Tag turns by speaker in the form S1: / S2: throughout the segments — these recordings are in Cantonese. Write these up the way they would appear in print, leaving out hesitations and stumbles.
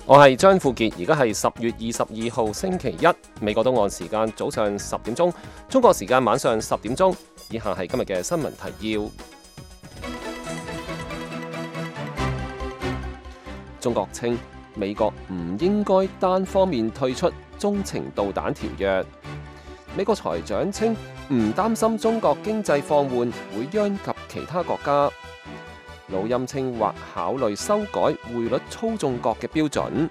S1: 我係張富傑，而家係10月22號星期一，美國東岸時間早上10點鐘，中國時間晚上10點鐘。以下係今日嘅新聞提要。中國稱美國唔應該單方面退出中程導彈條約。美國財長稱唔擔心中國經濟放緩會殃及其他國家。老欽稱或考慮修改匯率操縱國嘅標準。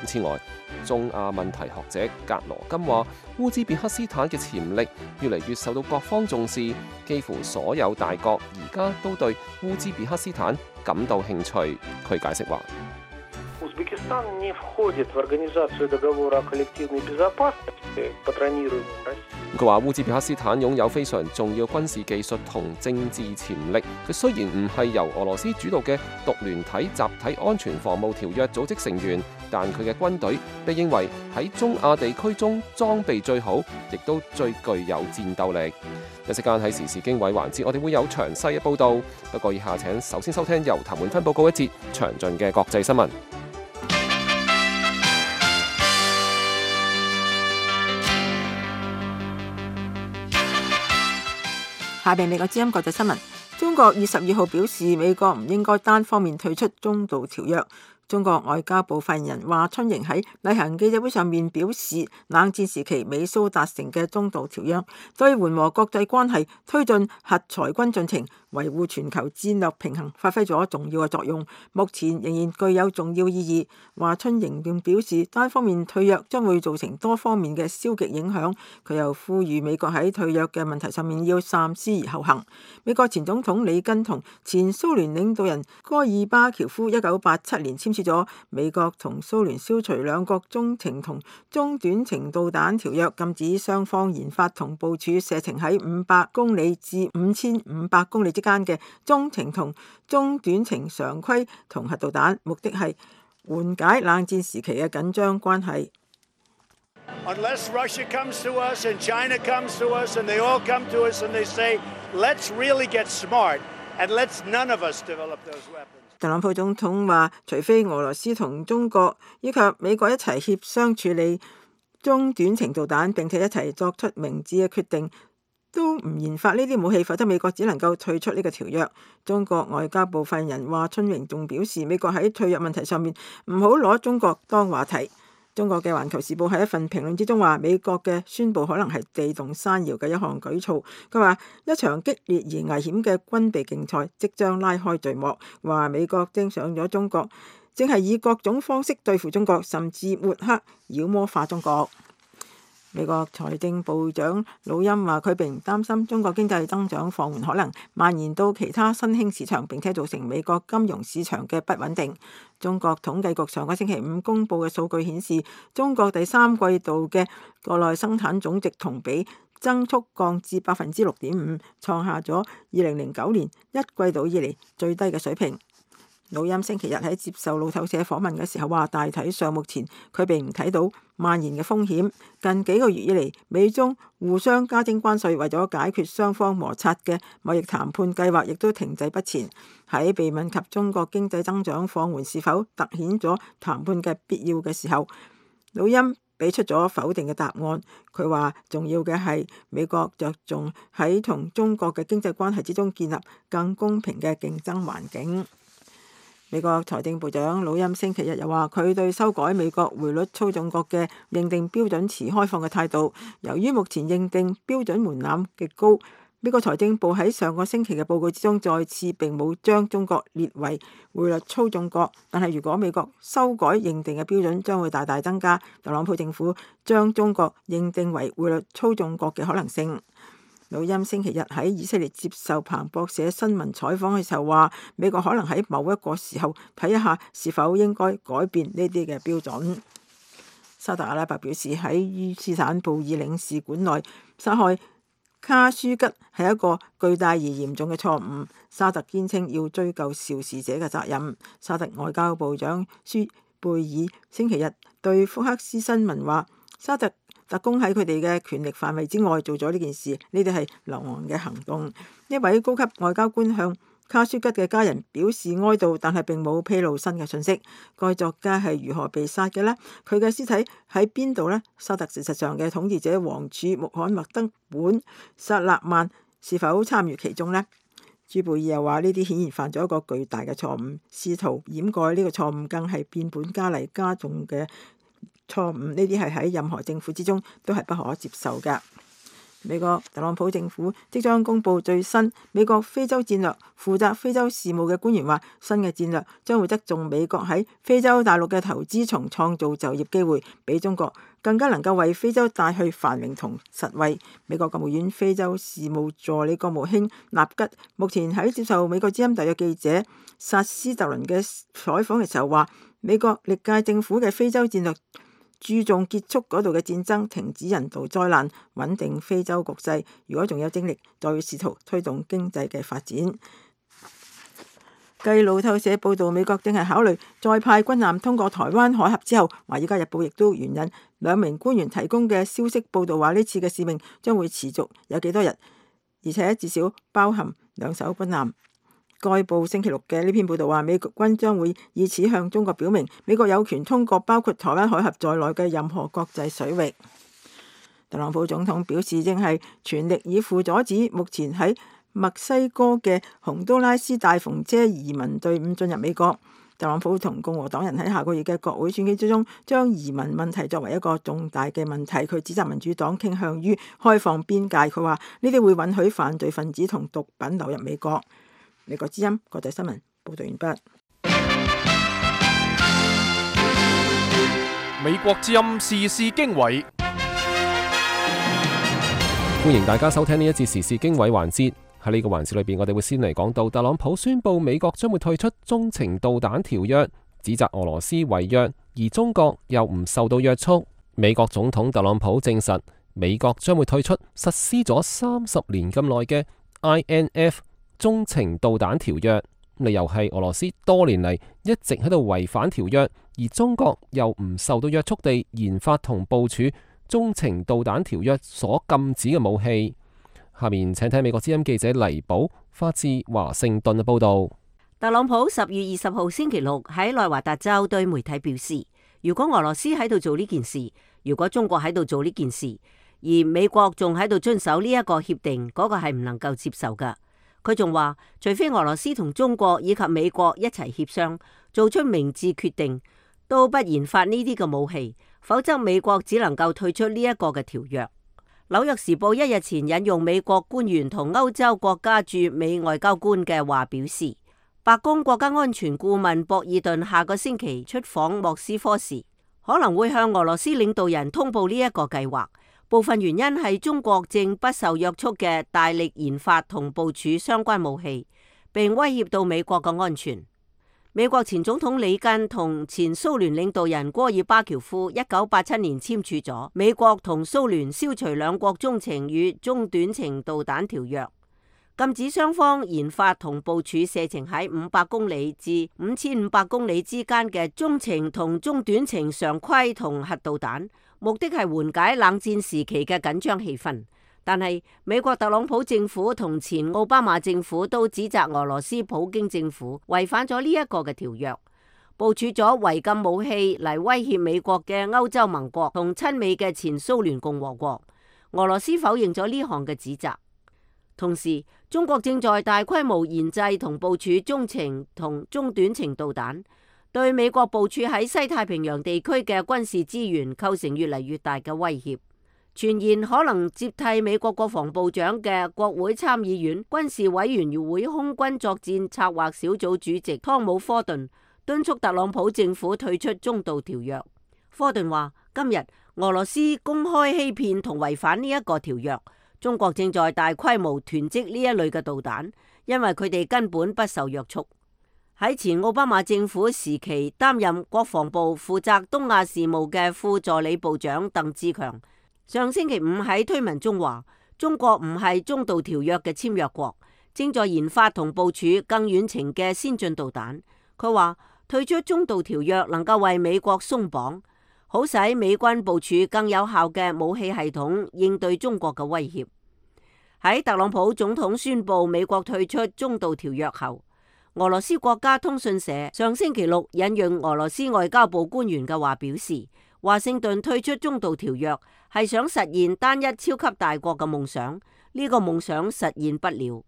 S1: 此外，中亞問題學者格羅金話，烏茲別克斯坦嘅潛力越嚟越受到各方重視，幾乎所有大國而家都對烏茲別克斯坦感到興趣。佢解釋話，佢話烏茲別克斯坦擁有非常重要軍事技術同政治潛力。佢雖然唔係由俄羅斯主導嘅獨聯體集體安全防務條約組織成員，但佢嘅軍隊被認為喺中亞地區中裝備最好，亦都最具有戰鬥力。一息間喺時事經緯環節，我哋會有詳細嘅報導。不過以下請首先收聽由譚滿芬報告一節詳盡嘅國際新聞。
S2: 下邊美國之音國際新聞。中國22號表示，美國唔應該單方面退出中導條約。中國外交部發言人華春瑩喺例行記者會上面表示，冷戰時期美蘇達成嘅中導條約對緩和國際關係、推進核裁軍進程、維護全球戰略平衡發揮咗重要嘅作用，目前仍然具有重要意義。華春瑩並表示，單方面退約將會造成多方面嘅消極影響。佢又呼籲美國喺退約嘅問題上面要三思而後行。美國前總統里根同前蘇聯領導人戈爾巴喬夫1987年簽署咗美國同蘇聯消除兩國中程同中短程導彈條約，禁止雙方研發同部署射程喺500公里至5500公里之間嘅中程同中短程常規同核導彈，目的係緩解冷戰時期嘅緊張關係。
S3: Unless Russia comes to us and China comes to us and they all come to us and they say, let's really get smart and let's none of us develop those weapons.
S2: 特朗普總統話，除非俄羅斯同中國以及美國一齊協商處理中短程導彈，並且一齊作出明智嘅決定，都唔研發呢啲武器，否則美國只能夠退出呢個條約。中國外交部發言人華春瑩仲表示，美國喺退約問題上面唔好攞中國當話題。中國嘅《環球時報》喺一份評論之中話，美國嘅宣佈可能係地動山搖嘅一項舉措。佢話一場激烈而危險嘅軍備競賽即將拉開序幕，話美國盯上咗中國，正係以各種方式對付中國，甚至抹黑妖魔化中國。美國財政部長魯欽話，佢並唔擔心中國經濟增長放緩可能蔓延到其他新興市場，並且造成美國金融市場嘅不穩定。中國統計局上個星期五公布嘅數據顯示，中國第三季度嘅國內生產總值同比增速降至6.5%，創下咗2009年一季度以嚟最低嘅水平。魯欽星期日喺接受路透社訪問嘅時候話，大體上目前佢並唔睇到蔓延嘅風險。近幾個月以嚟，美中互相加徵關稅，為咗解決雙方摩擦嘅貿易談判計劃亦都停滯不前。喺被問及中國經濟增長放緩是否凸顯咗談判嘅必要嘅時候，魯欽俾出咗否定嘅答案。佢話重要嘅係美國着重喺同中國嘅經濟關係之中建立更公平嘅競爭環境。美國財政部長魯欽星期日又話，佢對修改美國匯率操縱國嘅認定標準持開放嘅態度。由於目前認定標準門檻極高，美國財政部喺上個星期嘅報告之中再次並冇將中國列為匯率操縱國。但係如果美國修改認定嘅標準，將會大大增加特朗普政府將中國認定為匯率操縱國嘅可能性。魯欽星期日喺以色列接受彭博社新聞採訪嘅時候話，美國可能喺某一個時候睇一下是否應該改變呢啲嘅標準。沙特阿拉伯表示喺伊斯坦布爾領事館內殺害卡舒吉係一個巨大而嚴重嘅錯誤。沙特堅稱要追究肇事者嘅責任。沙特外交部長舒貝爾星期日對福克斯新聞話，沙特特工喺佢哋嘅權力範圍之外做咗呢件事，呢啲係流亡嘅行動。一位高級外交官向卡舒吉嘅家人表示哀悼，但係並冇披露新嘅信息。該作家係如何被殺嘅呢？佢嘅屍體喺邊度呢？沙特事實上嘅統治者王儲穆罕默德本薩勒曼是否參與其中呢？朱貝爾又話呢啲顯然犯咗一個巨大嘅錯誤，試圖掩蓋呢個錯誤更係變本加厲加重嘅錯誤。呢啲係喺任何政府之中都係不可接受嘅。美國特朗普政府即將公布最新美國非洲戰略，負責非洲事務嘅官員話，新嘅戰略將會側重美國喺非洲大陸嘅投資，從創造就業機會，比中國更加能夠為非洲帶去繁榮同實惠。美國國務院非洲事務助理國務卿納吉目前喺接受美國之音特約記者薩斯特倫嘅採訪嘅時候話，美國歷屆政府嘅非洲戰略注重結束嗰度嘅戰爭，停止人道災難，穩定非洲局勢。如果仲有精力，就要試圖推動經濟嘅發展。繼路透社報道，美國正係考慮再派軍艦通過台灣海峽之後，華爾街日報亦都援引兩名官員提供嘅消息報道話，呢次嘅使命將會持續有幾多日，而且至少包含2艘軍艦。該報星期六嘅呢篇報道話，美國軍將會以此向中國表明，美國有權通過包括台灣海峽在內嘅任何國際水域。特朗普總統表示，正係全力以赴阻止目前喺墨西哥嘅洪都拉斯大篷車移民隊伍進入美國。特朗普同共和黨人喺下個月嘅國會選舉之中，將移民問題作為一個重大嘅問題。佢指責民主黨傾向於開放邊界，佢話呢啲會允許犯罪分子同毒品流入美國。美國之音國際新聞報道完畢。
S4: 美國之音時事經緯，
S1: 歡迎大家收聽呢一節時事經緯環節。喺呢個環節裏邊，我哋會先嚟講到特朗普宣布美國將會退出中程導彈條約，指責俄羅斯違約，而中國又唔受到約束。美國總統特朗普證實，美國將會退出實施咗30年咁耐嘅 INF 中程導彈條約，理由係俄羅斯多年嚟一直喺度違反條約，而中國又唔受到約束地研發同部署中程導彈條約所禁止嘅武器。下面請睇美國之音記者黎寶發自華盛頓嘅報道。
S5: 特朗普10月20號星期六喺內華達州對媒體表示，如果俄羅斯喺度做呢件事，如果中國喺度做呢件事，而美國仲喺度遵守呢一個協定，嗰個係唔能夠接受㗎。佢仲話，除非俄羅斯同中國以及美國一齊協商，做出明智決定，都不研發呢啲嘅武器，否則美國只能夠退出呢一個嘅條約。紐約時報1日前引用美國官員同歐洲國家駐美外交官嘅話表示，白宮國家安全顧問博爾頓下個星期出訪莫斯科時，可能會向俄羅斯領導人通報呢一個計劃。部分原因係中國正不受約束嘅大力研發同部署相關武器，並威脅到美國嘅安全。美國前總統里根同前蘇聯領導人戈爾巴喬夫1987年簽署咗美國同蘇聯消除兩國中程與中短程導彈條約，禁止雙方研發同部署射程喺500公里至5500公里之間嘅中程同中短程常規同核導彈。目的係緩解冷戰時期嘅緊張氣氛，但係美國特朗普政府同前奧巴馬政府都指責俄羅斯普京政府違反咗呢一個嘅條約，部署咗違禁武器嚟威脅美國嘅歐洲盟國同親美嘅前蘇聯共和國。俄羅斯否認咗呢項嘅指責。同時，中國正在大規模研製同部署中程同中短程導彈，對美國部署喺西太平洋地區嘅軍事資源構成越嚟越大嘅威脅。傳言可能接替美國國防部長嘅國會參議院軍事委員會空軍作戰策劃小組主席湯姆·科頓敦促特朗普政府退出中導條約。科頓話：今日俄羅斯公開欺騙同違反呢一個條約，中國正在大規模囤積呢一類嘅導彈，因為佢哋根本不受約束。喺前奧巴馬政府時期擔任國防部負責東亞事務嘅副助理部長鄧志強上星期5喺推文中話，中國唔係中導條約嘅簽約國，正在研發同部署更遠程嘅先進導彈。佢話退出中導條約能夠為美國鬆綁，好使美軍部署更有效嘅武器系統應對中國嘅威脅。喺特朗普總統宣布美國退出中導條約後，俄羅斯國家通訊社上星期六引用俄羅斯外交部官員嘅話表示，華盛頓退出中導條約係想實現單一超級大國嘅夢想，呢個夢想實現不了。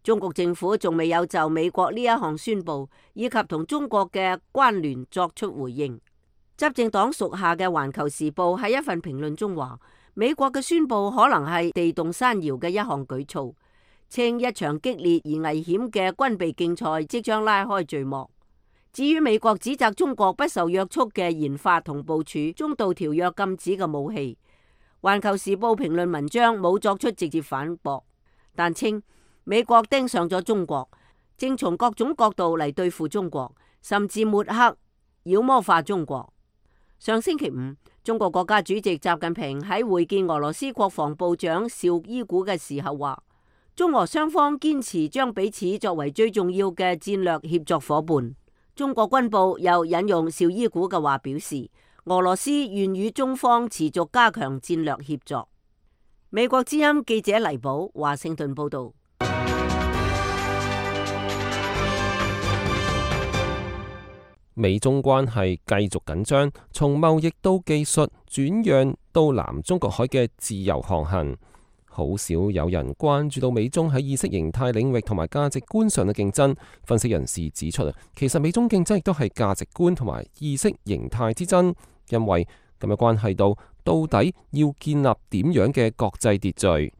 S5: 中國政府仲未有就美國呢一項宣布以及同中國嘅關聯作出回應。執政黨屬下嘅《環球時報》喺一份評論中話，美國嘅宣布可能係地動山搖嘅一項舉措，稱一場激烈而危險嘅軍備競賽即將拉開序幕。至於美國指責中國不受約束嘅研發同部署中導條約禁止嘅武器，《環球時報》評論文章冇作出直接反駁，但稱美國盯上咗中國，正從各種角度嚟對付中國，甚至抹黑、妖魔化中國。上星期五，中國國家主席習近平喺會見俄羅斯國防部長邵伊古嘅時候話，中俄雙方堅持將彼此作為最重要嘅戰略協作夥伴。中國軍報又引用邵伊古嘅話表示，俄羅斯願與中方持續加強戰略協作。美國之音記者黎寶華盛頓報道。
S1: 美中關係繼續緊張，從貿易到技術轉讓到南中國海嘅自由航行，好少有人關注到美中喺意識形態領域同埋價值觀上嘅競爭。分析人士指出，其實美中競爭亦都係價值觀同埋意識形態之爭，因為咁樣關係到底要建立點樣嘅國際秩序。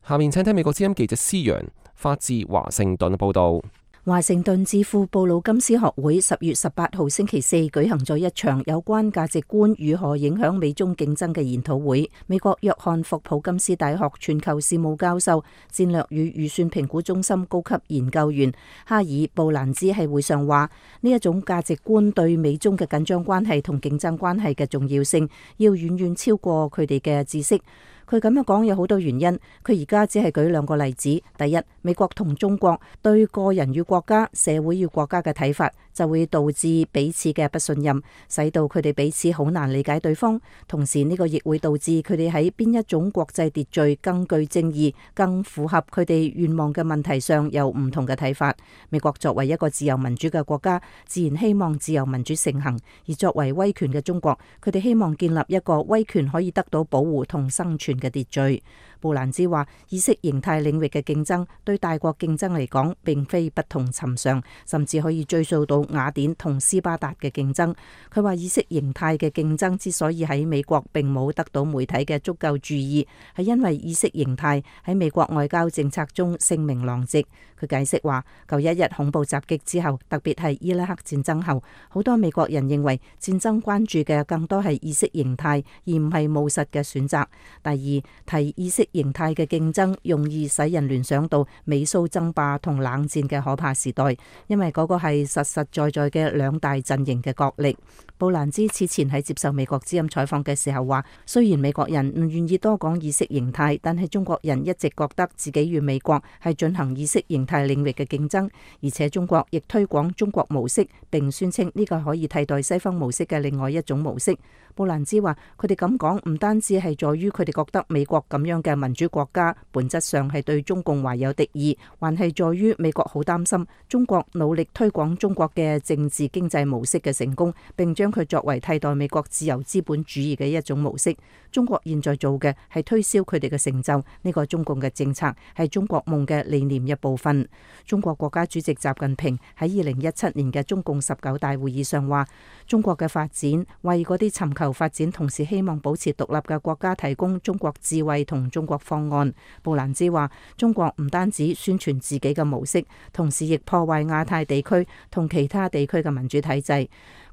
S1: 下面請聽美國之音記者施陽發自華盛頓嘅報道。
S6: 華盛頓智庫布魯金斯學會10月18號星期四舉行咗一場有關價值觀如何影響美中競爭嘅研討會。美國約翰霍普金斯大學全球事務教授、戰略與預算評估中心高級研究員哈爾布蘭茲喺會上話，呢一種價值觀對美中嘅緊張關係同競爭關係嘅重要性，要遠遠超過佢哋嘅知識。佢咁樣講有好多原因，佢而家只係舉兩個例子。第一，美國同中國對個人與國家、社會與國家嘅睇法，就會導致彼此嘅不信任，使到佢哋彼此好難理解對方。同時呢個亦會導致佢哋喺邊一種國際秩序更具正義、更符合佢哋願望嘅問題上有唔同嘅睇法。美國作為一個自由民主嘅國家，自然希望自由民主盛行；而作為威權嘅中國，佢哋希望建立一個威權可以得到保護同生存嘅秩序。布蘭茲話，意識形態領域嘅競爭對大國競爭嚟講並非不同尋常，甚至可以追溯到雅典同斯巴達嘅競爭。佢話，意識形態嘅競爭之所以喺美國並冇得到媒體嘅足夠注意，係因為意識形態喺美國外交政策中聲名狼藉。佢解釋話，9/11恐怖襲擊之後，特別係伊拉克戰爭後，好多美國人認為戰爭關注嘅更多係意識形態，而唔係務實嘅選擇。第二，提意識形態嘅競爭容易使人聯想到美蘇爭霸同冷戰嘅可怕時代，因為嗰個係實實在在嘅兩大陣營嘅角力。布蘭茲此前喺接受美國之音採訪嘅時候話，雖然美國人唔願意多講意識形態，但係中國人一直覺得自己與美國係進行意識形態領域嘅競爭，而且中國亦推廣中國模式，並宣稱呢個可以替代西方模式嘅另外一種模式。布蘭茲話，佢哋咁講唔單止係在於佢哋覺得美國咁樣嘅民主國家本質上係對中共懷有敵意，還係在於美國好擔心中國努力推廣中國嘅政治經濟模式嘅成功，並將佢作為替代美國自由資本主義嘅一種模式。中國現在做嘅係推銷佢哋嘅成就，呢個中共嘅政策係中國夢嘅理念一部分。中國國家主席習近平喺2017年嘅中共19大會議上話，中國嘅發展為嗰啲尋求發展同時希望保持獨立嘅國家提供中國智慧同中國方案。布蘭茲話，中國唔單止宣傳自己嘅模式，同時亦破壞亞太地區同其他地區嘅民主體制。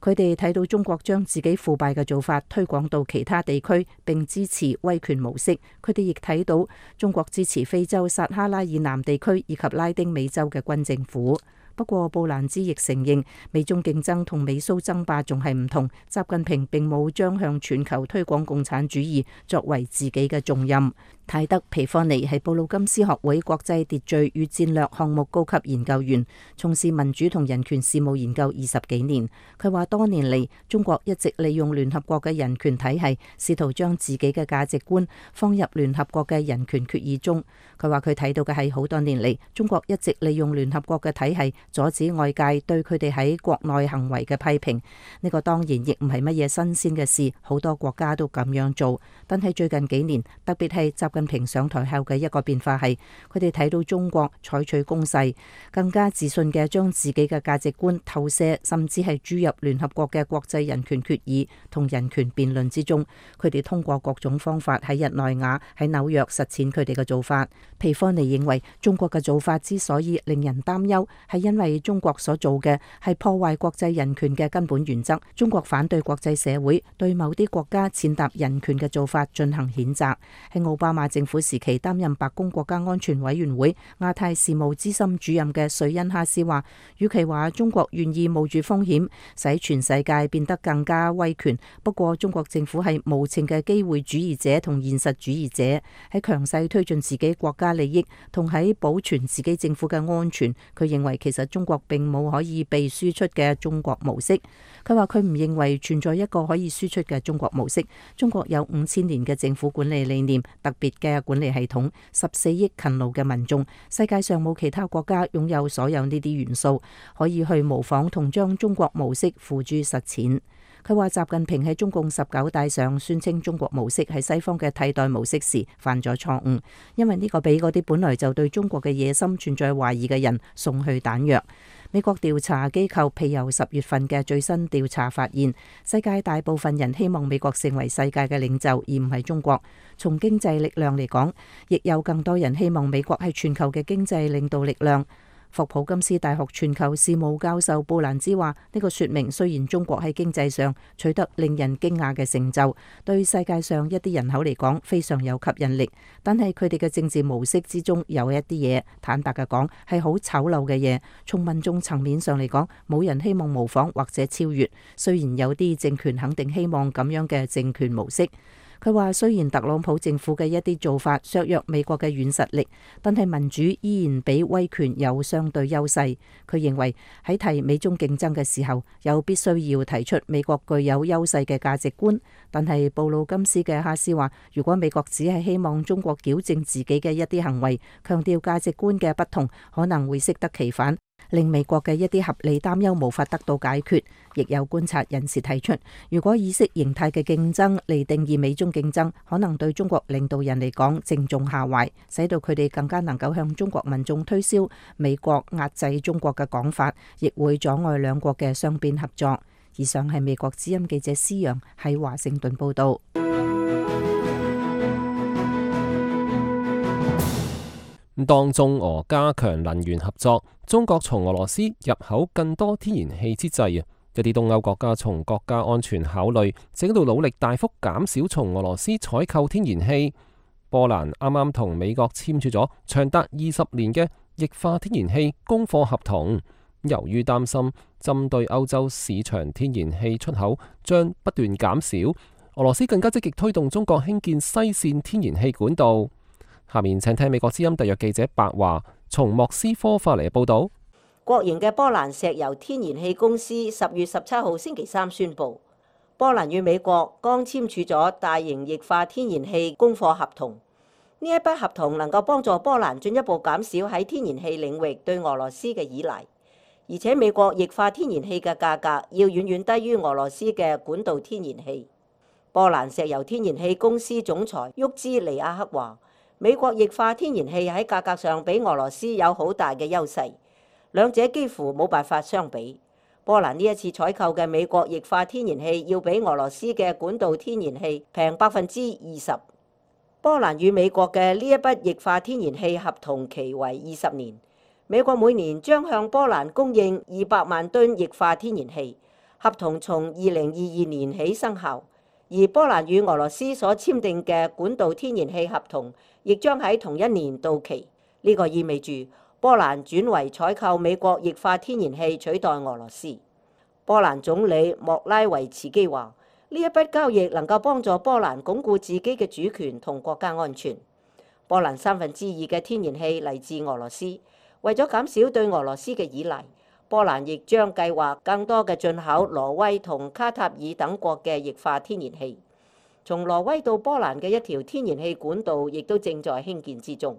S6: 佢哋睇到中國將自己腐敗嘅做法推廣到其他地區，並支持威權模式。佢哋亦睇到中國支持非洲撒哈拉以南地區以及拉丁美洲嘅軍政府。不過布蘭茲亦承認，美中競爭同美蘇爭霸仲係唔同。習近平並冇將向全球推廣共產主義作為自己嘅重任。泰德皮科尼係布魯金斯學會國際秩序與戰略項目高級研究員，從事民主同人權事務研究20幾年。佢話多年嚟，中國一直利用聯合國嘅人權體系，試圖將自己嘅價值觀放入聯合國嘅人權決議中。佢話佢睇到嘅係好多年嚟，中國一直利用聯合國嘅體系阻止外界對佢哋喺國內行為嘅批評。呢個當然亦唔係乜嘢新鮮嘅事，好多國家都咁樣做。但係最近幾年，特別係習近平上台後嘅一個變化係，佢哋睇到中國採取攻勢，更加自信嘅將自己嘅價值觀投射，甚至係注入聯合國嘅國際人權決議同人權辯論之中。佢哋通過各種方法喺日內瓦、喺紐約實踐佢哋嘅做法。皮科尼認為，中國嘅做法之所以令人擔憂，係因為中國所做嘅係破壞國際人權嘅根本原則。中國反對國際社會對某啲國家踐踏人權嘅做法進行譴責。喺奧巴馬政府時期擔任白宮國家安全委員會亞太事務資深主任嘅瑞恩哈斯話，與其話中國願意冒住風險使全世界變得更加威權，不過中國政府係無情嘅機會主義者同現實主義者，喺強勢推進自己國家利益同喺保存自己政府嘅安全。佢認為其實中國並冇可以被輸出嘅中國模式。佢話佢唔認為存在一個可以輸出嘅中國模式。中國有5000年嘅政府管理理念，特別嘅管理系統，14億勤勞嘅民眾，世界上冇其他國家擁有所有呢啲元素，可以去模仿同將中國模式付諸實踐。佢話習近平喺中共19大上宣稱中國模式係西方嘅替代模式時犯咗錯誤，因為呢個俾嗰啲本來就對中國嘅野心存在懷疑嘅人送去彈藥。美國調查機構皮尤10月份嘅最新調查發現，世界大部分人希望美國成為世界嘅領袖，而唔係中國。從經濟力量嚟講，亦有更多人希望美國係全球嘅經濟領導力量。霍普金斯大學全球事務教授布蘭茲話：呢個說明雖然中國喺經濟上取得令人驚訝嘅成就，對世界上一啲人口嚟講非常有吸引力，但係佢哋嘅政治模式之中有一啲嘢，坦白嘅講係好醜陋嘅嘢。從民眾層面上嚟講，冇人希望模仿或者超越，雖然有啲政權肯定希望咁樣嘅政權模式。佢話雖然特朗普政府嘅一啲做法削弱美國嘅軟實力，但係民主依然比威權有相對優勢。佢認為喺提美中競爭嘅時候，有必須要提出美國具有優勢嘅價值觀。但係布魯金斯嘅哈斯話，如果美國只係希望中國矯正自己嘅一啲行為，強調價值觀嘅不同，可能會適得其反，令美國嘅一啲合理擔憂無法得到解決。亦有觀察人士提出，如果意識形態嘅競爭嚟定義美中競爭，可能對中國領導人嚟講正中下懷，使到佢哋更加能夠向中國民眾推銷美國壓制中國嘅講法，亦會阻礙兩國嘅雙邊合作。以上係美國之音記者施陽喺華盛頓報道。
S1: 當中俄加強能源合作，中國從俄羅斯入口更多天然氣之際，一啲東歐國家從國家安全考慮，正喺度努力大幅減少從俄羅斯採購天然氣。波蘭啱啱同美國簽署咗長達20年嘅液化天然氣供貨合同，由於擔心針對歐洲市場天然氣出口將不斷減少，俄羅斯更加積極推動中國興建西線天然氣管道。下面請聽美國之音特約記者白華從莫斯科發嚟嘅報道。
S5: 國營嘅波蘭石油天然氣公司10月17號星期三宣布，波蘭與美國剛簽署咗大型液化天然氣供貨合同。呢一筆合同能夠幫助波蘭進一步減少喺天然氣領域對俄羅斯嘅依賴，而且美國液化天然氣嘅價格要遠遠低於俄羅斯嘅管道天然氣。波蘭石油天然氣公司總裁沃茲尼亞克話，美國液化天然氣喺價格上比俄羅斯有好大嘅優勢，兩者幾乎冇辦法相比。波蘭呢一次採購嘅美國液化天然氣要比俄羅斯嘅管道天然氣平20%。波蘭與美國嘅呢一筆液化天然氣合同期為20年，美國每年將向波蘭供應200萬噸液化天然氣，合同從2022年起生效。而波蘭與俄羅斯所簽訂嘅管道天然氣合同亦將喺同一年到期。呢個意味住波蘭轉為採購美國液化天然氣取代俄羅斯。波蘭總理莫拉維茨基話：呢一筆交易能夠幫助波蘭鞏固自己嘅主權同國家安全。波蘭2/3嘅天然氣嚟自俄羅斯，為咗減少對俄羅斯嘅依賴，波蘭亦將計劃更多嘅進口挪威同卡塔爾等國嘅液化天然氣。從挪威到波蘭嘅一條天然氣管道亦都正在興建之中。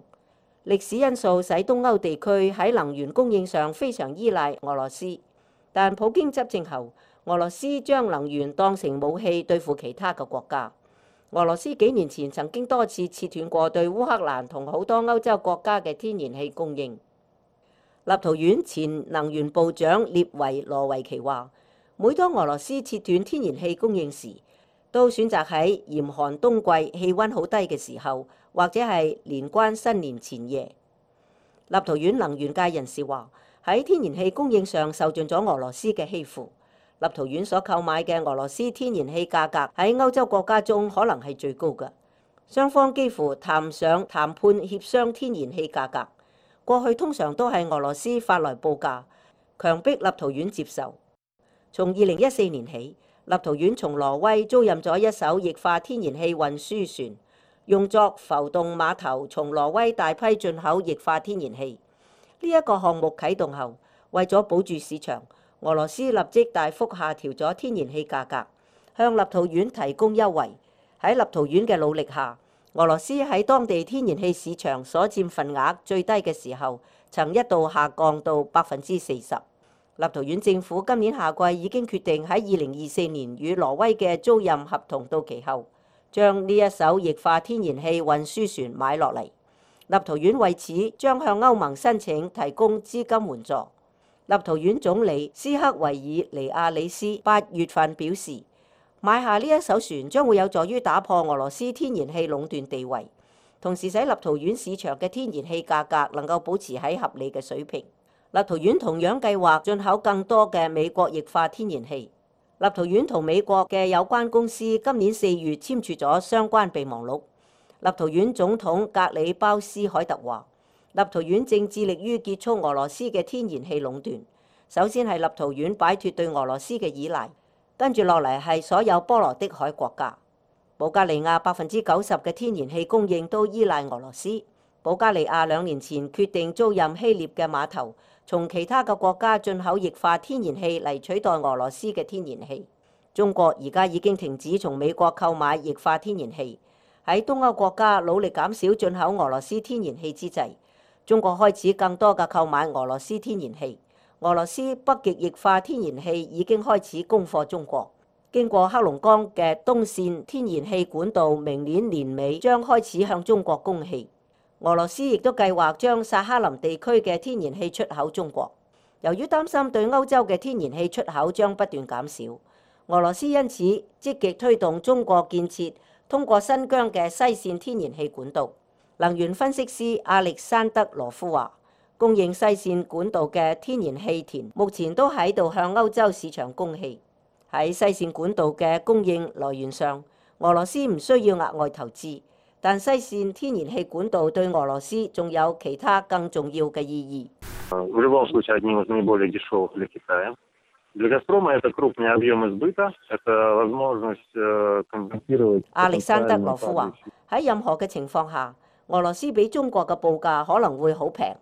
S5: 歷史因素使東歐地區喺能源供應上非常依賴俄羅斯，但普京執政後，俄羅斯將能源當成武器對付其他嘅國家。俄羅斯幾年前曾經多次切斷過對烏克蘭同好多歐洲國家嘅天然氣供應。立陶宛前能源部長列維羅維奇話：每當俄羅斯切斷天然氣供應時，都選擇喺嚴寒冬季氣温好低嘅時候，或者係年關新年前夜。立陶宛能源界人士話：喺天然氣供應上受盡咗俄羅斯嘅欺負。立陶宛所購買嘅俄羅斯天然氣價格喺歐洲國家中可能係最高嘅，雙方幾乎談上談判協商天然氣價格。過去通常都係俄羅斯發來報價，強迫立陶宛接受。從2014年起，立陶宛從挪威租賃咗一艘液化天然氣運輸船，用作浮動碼頭從挪威大批進口液化天然氣。呢一個項目啟動後，為咗保住市場，俄羅斯立即大幅下調咗天然氣價格，向立陶宛提供優惠。喺立陶宛嘅努力下，俄羅斯喺當地天然氣市場所佔份額最低嘅時候，曾一度下降到40%。立陶宛政府今年夏季已經決定喺2024年與挪威嘅租賃合同到期後，將呢一艘液化天然氣運輸船買落嚟。立陶宛為此將向歐盟申請提供資金援助。立陶宛總理斯克維爾尼亞里斯8月份表示，買下呢一艘船將會有助於打破俄羅斯天然氣壟斷地位，同時使立陶宛市場嘅天然氣價格能夠保持喺合理嘅水平。立陶宛同樣計劃進口更多嘅美國液化天然氣。立陶宛同美國嘅有關公司今年4月簽署咗相關備忘錄。立陶宛總統格里鮑斯凱特話：立陶宛正致力於結束俄羅斯嘅天然氣壟斷。首先係立陶宛擺脱對俄羅斯嘅依賴，跟住落嚟係所有波羅的海國家。保加利亞90%嘅天然氣供應都依賴俄羅斯。保加利亞2年前決定租賃希臘嘅碼頭，從其他嘅國家進口液化天然氣嚟取代俄羅斯嘅天然氣。中國而家已經停止從美國購買液化天然氣。喺東歐國家努力減少進口俄羅斯天然氣之際，中國開始更多嘅購買俄羅斯天然氣。俄羅斯北極液化天然氣已經開始供貨中國。經過黑龍江嘅東線天然氣管道，明年年尾將開始向中國供氣。俄羅斯亦都計劃將薩哈林地區嘅天然氣出口中國。由於擔心對歐洲嘅天然氣出口將不斷減少，俄羅斯因此積極推動中國建設通過新疆嘅西線天然氣管道。能源分析師亞歷山德羅夫話：供應西線管道嘅天然氣田目前都喺度向歐洲市場供氣。喺西線管道嘅供應來源上，俄羅斯唔需要額外投資，但西線天然氣管道對俄羅斯仲有其他更重要嘅意義。亞歷山德羅夫話：喺任何嘅情況下，俄羅斯比中國嘅報價可能會好平。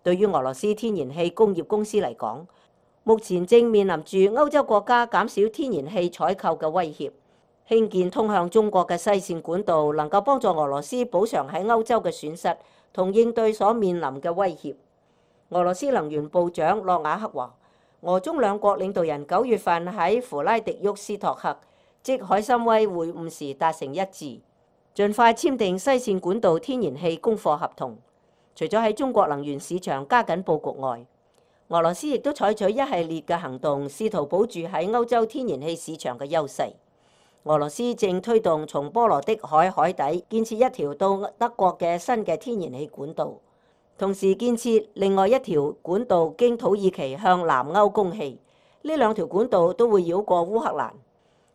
S5: 對於俄羅斯天然氣工業公司嚟講，目前正面臨住歐洲國家減少天然氣採購嘅威脅。興建通向中國嘅西線管道能夠幫助俄羅斯補償喺歐洲嘅損失，同應對所面臨嘅威脅。俄羅斯能源部長諾瓦克話：俄中兩國領導人9月份喺弗拉迪沃斯托克即海參崴會晤時達成一致，盡快簽訂西線管道天然氣供貨合同。除咗喺中國能源市場加緊佈局外，俄羅斯亦都採取一系列嘅行動，試圖保住喺歐洲天然氣市場嘅優勢。俄羅斯正推動從波羅的海海底建設一條到德國嘅新嘅天然氣管道，同時建設另外一條管道經土耳其向南歐供氣。呢兩條管道都會繞過烏克蘭。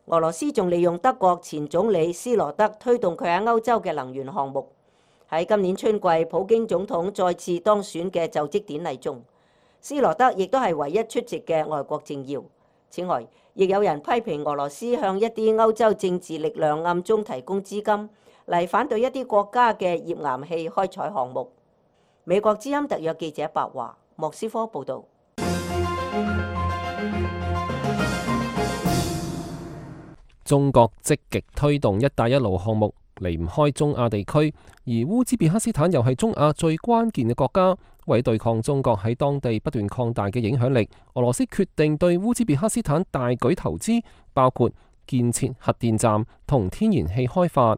S5: 俄羅斯仲利用德國前總理斯羅德推動佢喺歐洲嘅能源項目。喺今年春季普京總統再次當選嘅就職典禮中，斯羅德亦都係唯一出席嘅外國政要。此外，亦有人批評俄羅斯向一啲歐洲政治力量暗中提供資金，嚟反對一啲國家嘅頁岩氣開採項目。美國之音特約記者白華，莫斯科報導。
S1: 中國積極推動一帶一路項目，離唔開中亞地區，而烏茲別克斯坦又係中亞最關鍵嘅國家。為對抗中國喺當地不斷擴大嘅影響力，俄羅斯決定對烏茲別克斯坦大舉投資，包括建設核電站同天然氣開發。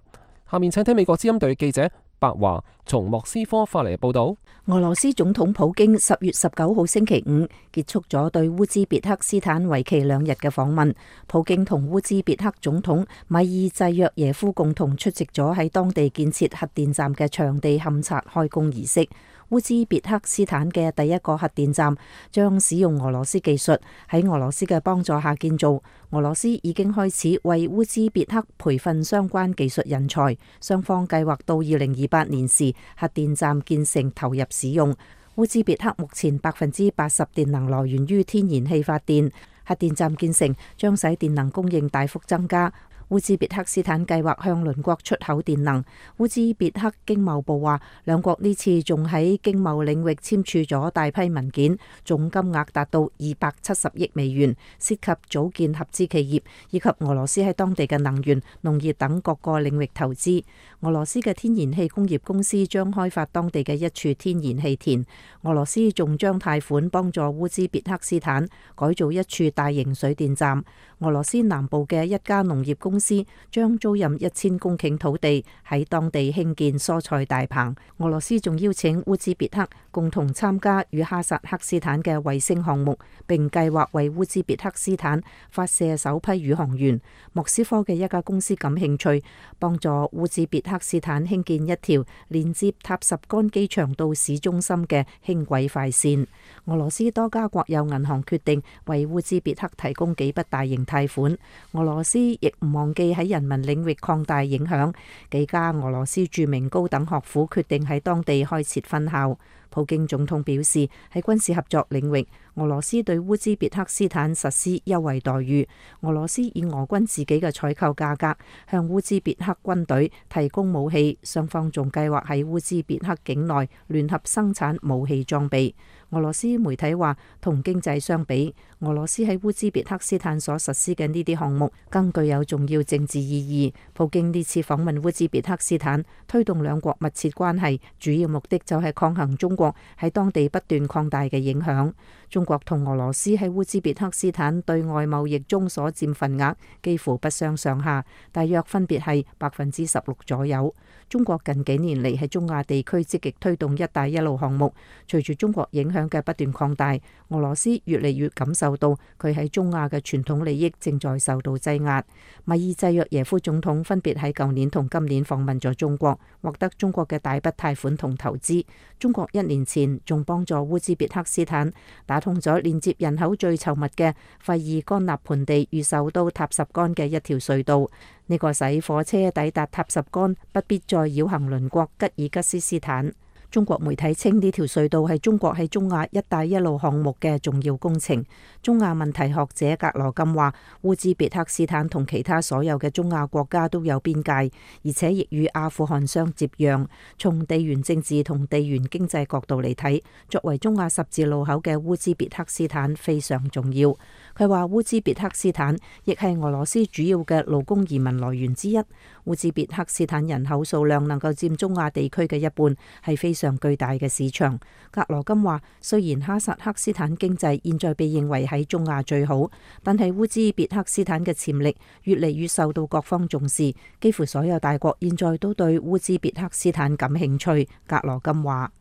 S1: 下面請聽美國之音隊記者白華從莫斯科發嚟嘅報導。
S6: 俄羅斯總統普京10月19號星期五結束咗對烏茲別克斯坦為期2日嘅訪問。普京同烏茲別克總統米爾濟約耶夫共同出席咗喺當地建設核電站嘅場地勘察開工儀式。烏茲別克斯坦嘅第一個核電站將使用俄羅斯技術，喺俄羅斯嘅幫助下建造。俄羅斯已經開始為烏茲別克培訓相關技術人才，雙方計劃到2028年時核電站建成投入使用。烏茲別克目前80%電能來源於天然氣發電，核電站建成將使電能供應大幅增加。烏茲別克斯坦計劃向鄰國出口電能。烏茲別克經貿部話，兩國呢次仲喺經貿領域簽署咗大批文件，總金額達到270億美元，涉及組建合資企業以及俄羅斯喺當地嘅能源、農業等各個領域投資。俄羅斯嘅天然氣工業公司將開發當地嘅一處天然氣田。俄羅斯仲將貸款幫助烏茲別克斯坦改造一處大型水電站。俄羅斯南部嘅一家農業公司將租賃1000公頃土地喺當地興建蔬菜大棚。俄羅斯仲邀請烏茲別克共同參加與哈薩克斯坦嘅衛星項目，並計劃為烏茲別克斯坦發射首批宇航員。莫斯科嘅一家公司感興趣，幫助烏茲別克斯坦興建一條連接塔什干機場到市中心嘅輕軌快線。俄羅斯多家國有銀行決定為烏茲別克提供幾筆大型貸款。俄羅斯亦唔忘記喺人民領域擴大影響，幾家俄羅斯著名高等學府決定喺當地開設分校。普京總統表示，喺軍事合作領域，俄羅斯對烏茲別克斯坦實施優惠待遇。俄羅斯以俄軍自己嘅採購價格向烏茲別克軍隊提供武器，雙方仲計劃喺烏茲別克境內聯合生產武器裝備。俄羅斯媒體話，同經濟相比，俄羅斯喺烏茲別克斯坦所實施嘅呢啲項目更具有重要政治意義。普京呢次訪問烏茲別克斯坦，推動兩國密切關係，主要目的就係抗衡中國喺當地不斷擴大嘅影響。中國同俄羅斯喺烏茲別克斯坦對外貿易中所佔份額幾乎不相上下，大約分別係16%左右。中國近幾年嚟喺中亞地區積極推動一帶一路項目，隨住中國影響嘅不斷擴大，俄羅斯越嚟越感受到佢喺中亞嘅傳統利益正在受到擠壓。米爾濟約耶夫總統分別喺舊年同今年訪問咗中國，獲得中國嘅大筆貸款同投資。中國1年前仲幫助烏茲別克斯坦打通咗連接人口最稠密嘅費爾干納盆地與首都塔什干嘅一條隧道。呢個使火車抵達塔什干不必再繞行鄰國吉爾吉斯斯坦。中國媒體稱呢條隧道係中國喺中亞一帶一路項目嘅重要工程。中亞問題學者格羅金話，烏茲別克斯坦同其他所有嘅中亞國家都有邊界，而且亦與阿富汗相接壤。從地緣政治同地緣經濟角度嚟睇，作為中亞十字路口嘅烏茲別克斯坦非常重要。佢話烏茲別克斯坦亦係俄羅斯主要嘅勞工移民來源之一。烏茲別克斯坦人口數量能夠佔中亞地區嘅一半，係非常巨大嘅市場。格羅金話，雖然哈薩克斯坦經濟現在被認為喺中亞最好，但係烏茲別克斯坦嘅潛力越嚟越受到各方重視，幾乎所有大國現在都對烏茲別克斯坦感興趣。格羅金話，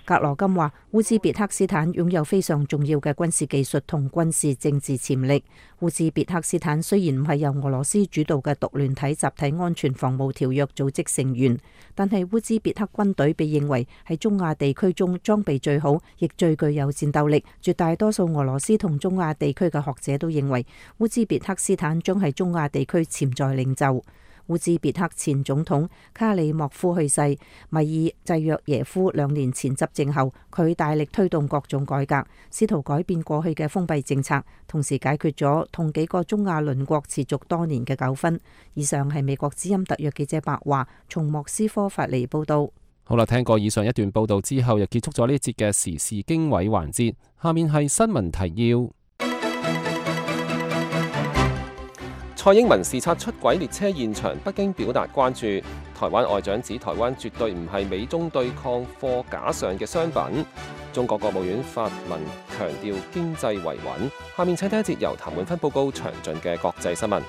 S6: 格羅金話，烏茲別克斯坦擁有非常重要嘅軍事技術同軍事政治潛力。烏茲別克斯坦雖然唔係由俄羅斯主導嘅獨聯體集體安全防務條約組織成員，但係烏茲別克軍隊被認為係中亞地區中裝備最好，亦最具有戰鬥力。絕大多數俄羅斯同中亞地區嘅學者都認為，烏茲別克斯坦將係中亞地區潛在領袖。烏茲別克前總統卡里莫夫去世，米爾濟約耶夫2年前執政後，佢大力推動各種改革，試圖改變過去嘅封閉政策，同時解決咗同幾個中亞鄰國持續多年嘅糾紛。以上係美國之音特約記者白華從莫斯科發嚟報道。
S1: 好啦，聽過以上一段報道之後，又結束咗呢一節嘅時事經緯環節。下面係新聞提要。蔡英文視察出軌列車現場，北京表達關注。台灣外長指台灣絕對唔係美中對抗貨架上嘅商品。中國國務院發文強調經濟維穩。下面請聽一節由譚滿芬報告詳盡嘅國際新聞。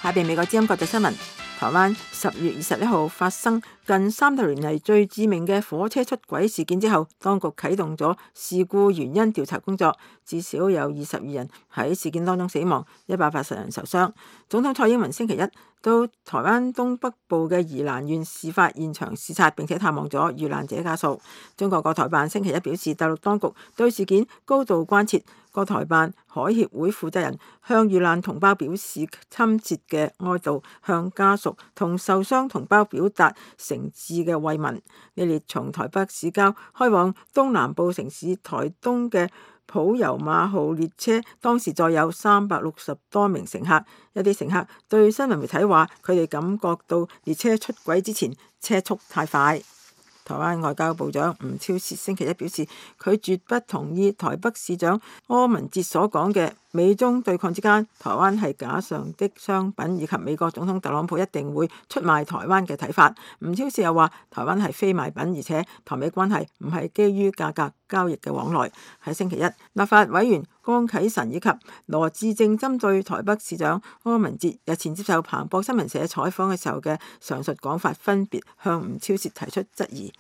S2: 下邊美國之音國際新聞。台灣10月21號發生近30年嚟最致命嘅火車出軌事件之後，當局啟動咗事故原因調查工作，至少有22人喺事件當中死亡，180人受傷。總統蔡英文星期一到台灣東北部嘅宜蘭縣事發現場視察，並且探望咗遇難者家屬。中國國台辦星期一表示，大陸當局對事件高度關切。國台辦海協會負責人向遇難同胞表示親切嘅哀悼，向家屬同受傷同胞表達誠摯嘅慰問。呢列從台北市郊開往東南部城市台東嘅普悠瑪號列車，當時載有360多名乘客。一啲乘客對新聞媒體話，佢哋感覺到列車出軌之前車速太快。台灣外交部長吳釗燮星期一表示，佢絕不同意台北市長柯文哲所講嘅美中對抗之間，台灣係架上的商品，以及美國總統特朗普一定會出賣台灣嘅睇法。吳釗燮又話，台灣係非賣品，而且台美關係唔係基於價格交易嘅往來。喺星期一，立法委員江啟臣以及羅致政針對台北市長柯文哲日前接受彭博新聞社採訪嘅時候嘅上述講法，分別向吳釗燮提出質疑。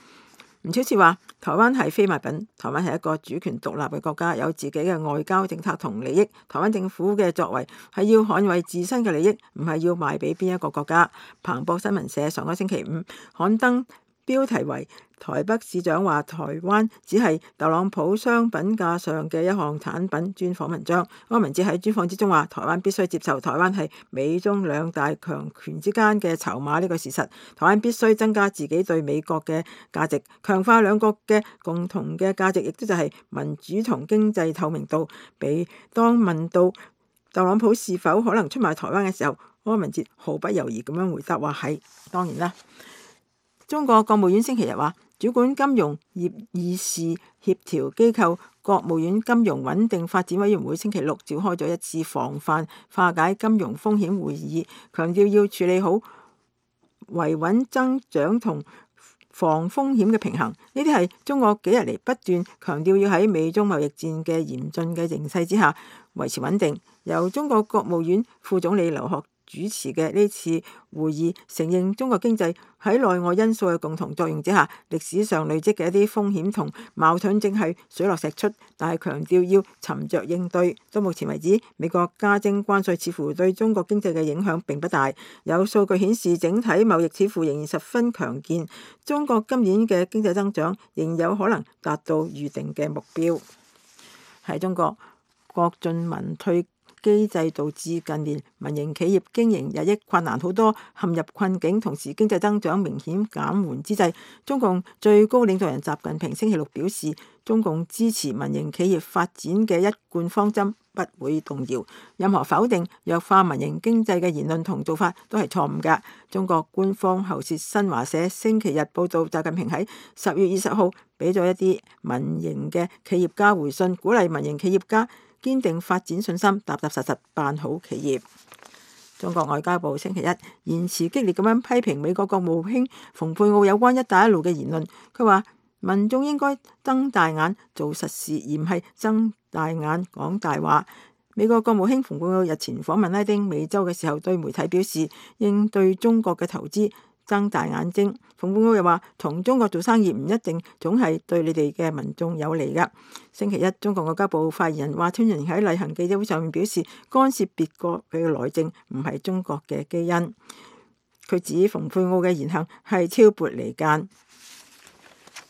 S2: 吳釗燮話：台灣係非賣品，台灣係一個主權獨立嘅國家，有自己嘅外交政策同利益。台灣政府嘅作為係要捍衛自身嘅利益，唔係要賣俾邊一個國家。彭博新聞社上個星期五刊登標題為台北市長話台灣只係特朗普商品架上嘅一項產品專訪文章。柯文哲喺專訪之中話，台灣必須接受台灣係美中兩大強權之間嘅籌碼呢個事實，台灣必須增加自己對美國嘅價值，強化兩國嘅共同嘅價值，亦都就係民主同經濟透明度。當問到特朗普是否可能出賣台灣嘅時候，柯文哲毫不猶豫咁樣回答話係當然啦。中國國務院星期日話，主管金融業議事協調機構國務院金融穩定發展委員會星期六召開咗一次防範化解金融風險會議，強調要處理好維穩增長同防風險嘅平衡。呢啲係中國幾日嚟不斷強調要喺美中貿易戰嘅嚴峻嘅形勢之下維持穩定。由中國國務院副總理劉鶴主持嘅呢次會議，承認中國經濟喺內外因素嘅共同作用之下，歷史上累積嘅一啲風險同矛盾正係水落石出，但係強調要沉着應對。到目前為止，美國加徵關稅似乎對中國經濟嘅影響並不大。有數據顯示，整體貿易似乎仍然十分強健，中國今年嘅經濟增長仍有可能達到預定嘅目標。喺中國，國進民退機制導致近年民營企業經營日益困難，好多陷入困境，同時經濟增長明顯減緩之際，中共最高領導人習近平星期六表示，中共支持民營企業發展嘅一貫方針不會動搖，任何否定弱化民營經濟嘅言論同做法都係錯誤㗎。中國官方喉舌新華社星期日報道，習近平喺10月20號俾咗一啲民營嘅企業家回信，鼓勵民營企業家堅定發展信心，踏踏實實辦好企業。中國外交部星期一言辭激烈咁樣批評美國國務卿蓬佩奧有關一帶一路嘅言論。佢話民眾應該睜大眼做實事，而唔係睜大眼講大話。美國國務卿蓬佩奧日前訪問拉丁美洲嘅時候，對媒體表示應對中國嘅投資睜大眼睛。蓬佩奧又話，同中國做生意唔一定總係對你哋嘅民眾有利㗎。星期一，中國外交部發言人華春瑩喺例行記者會上面表示，干涉別國嘅內政唔係中國嘅基因。佢指蓬佩奧嘅言行係挑撥離間。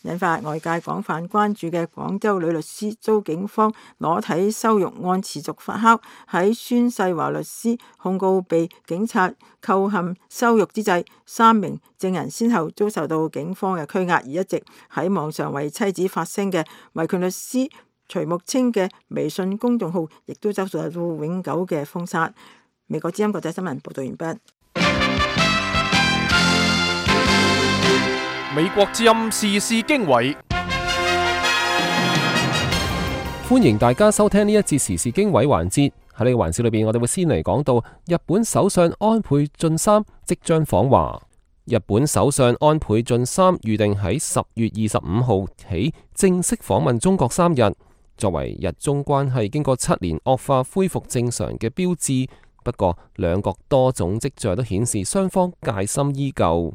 S2: 引發外界廣泛關注嘅廣州女律師遭警方裸體羞辱案持續發酵。喺孫世華律師控告被警察扣陷羞辱之際，3名證人先後遭受到警方嘅拘押，而一直喺網上為妻子發聲嘅維權律師徐木清嘅微信公眾號亦都遭受到永久嘅封殺。美國之音國際新聞報道完畢。
S4: 美國之音時事經緯，
S1: 歡迎大家收聽呢一節時事經緯環節。喺呢個環節裏邊，我哋會先嚟講到日本首相安倍晉三即將訪華。日本首相安倍晉三預定喺10月25號起正式訪問中國3日，作為日中關係經過7年惡化恢復正常嘅標誌。不過，兩國多種跡象都顯示雙方戒心依舊。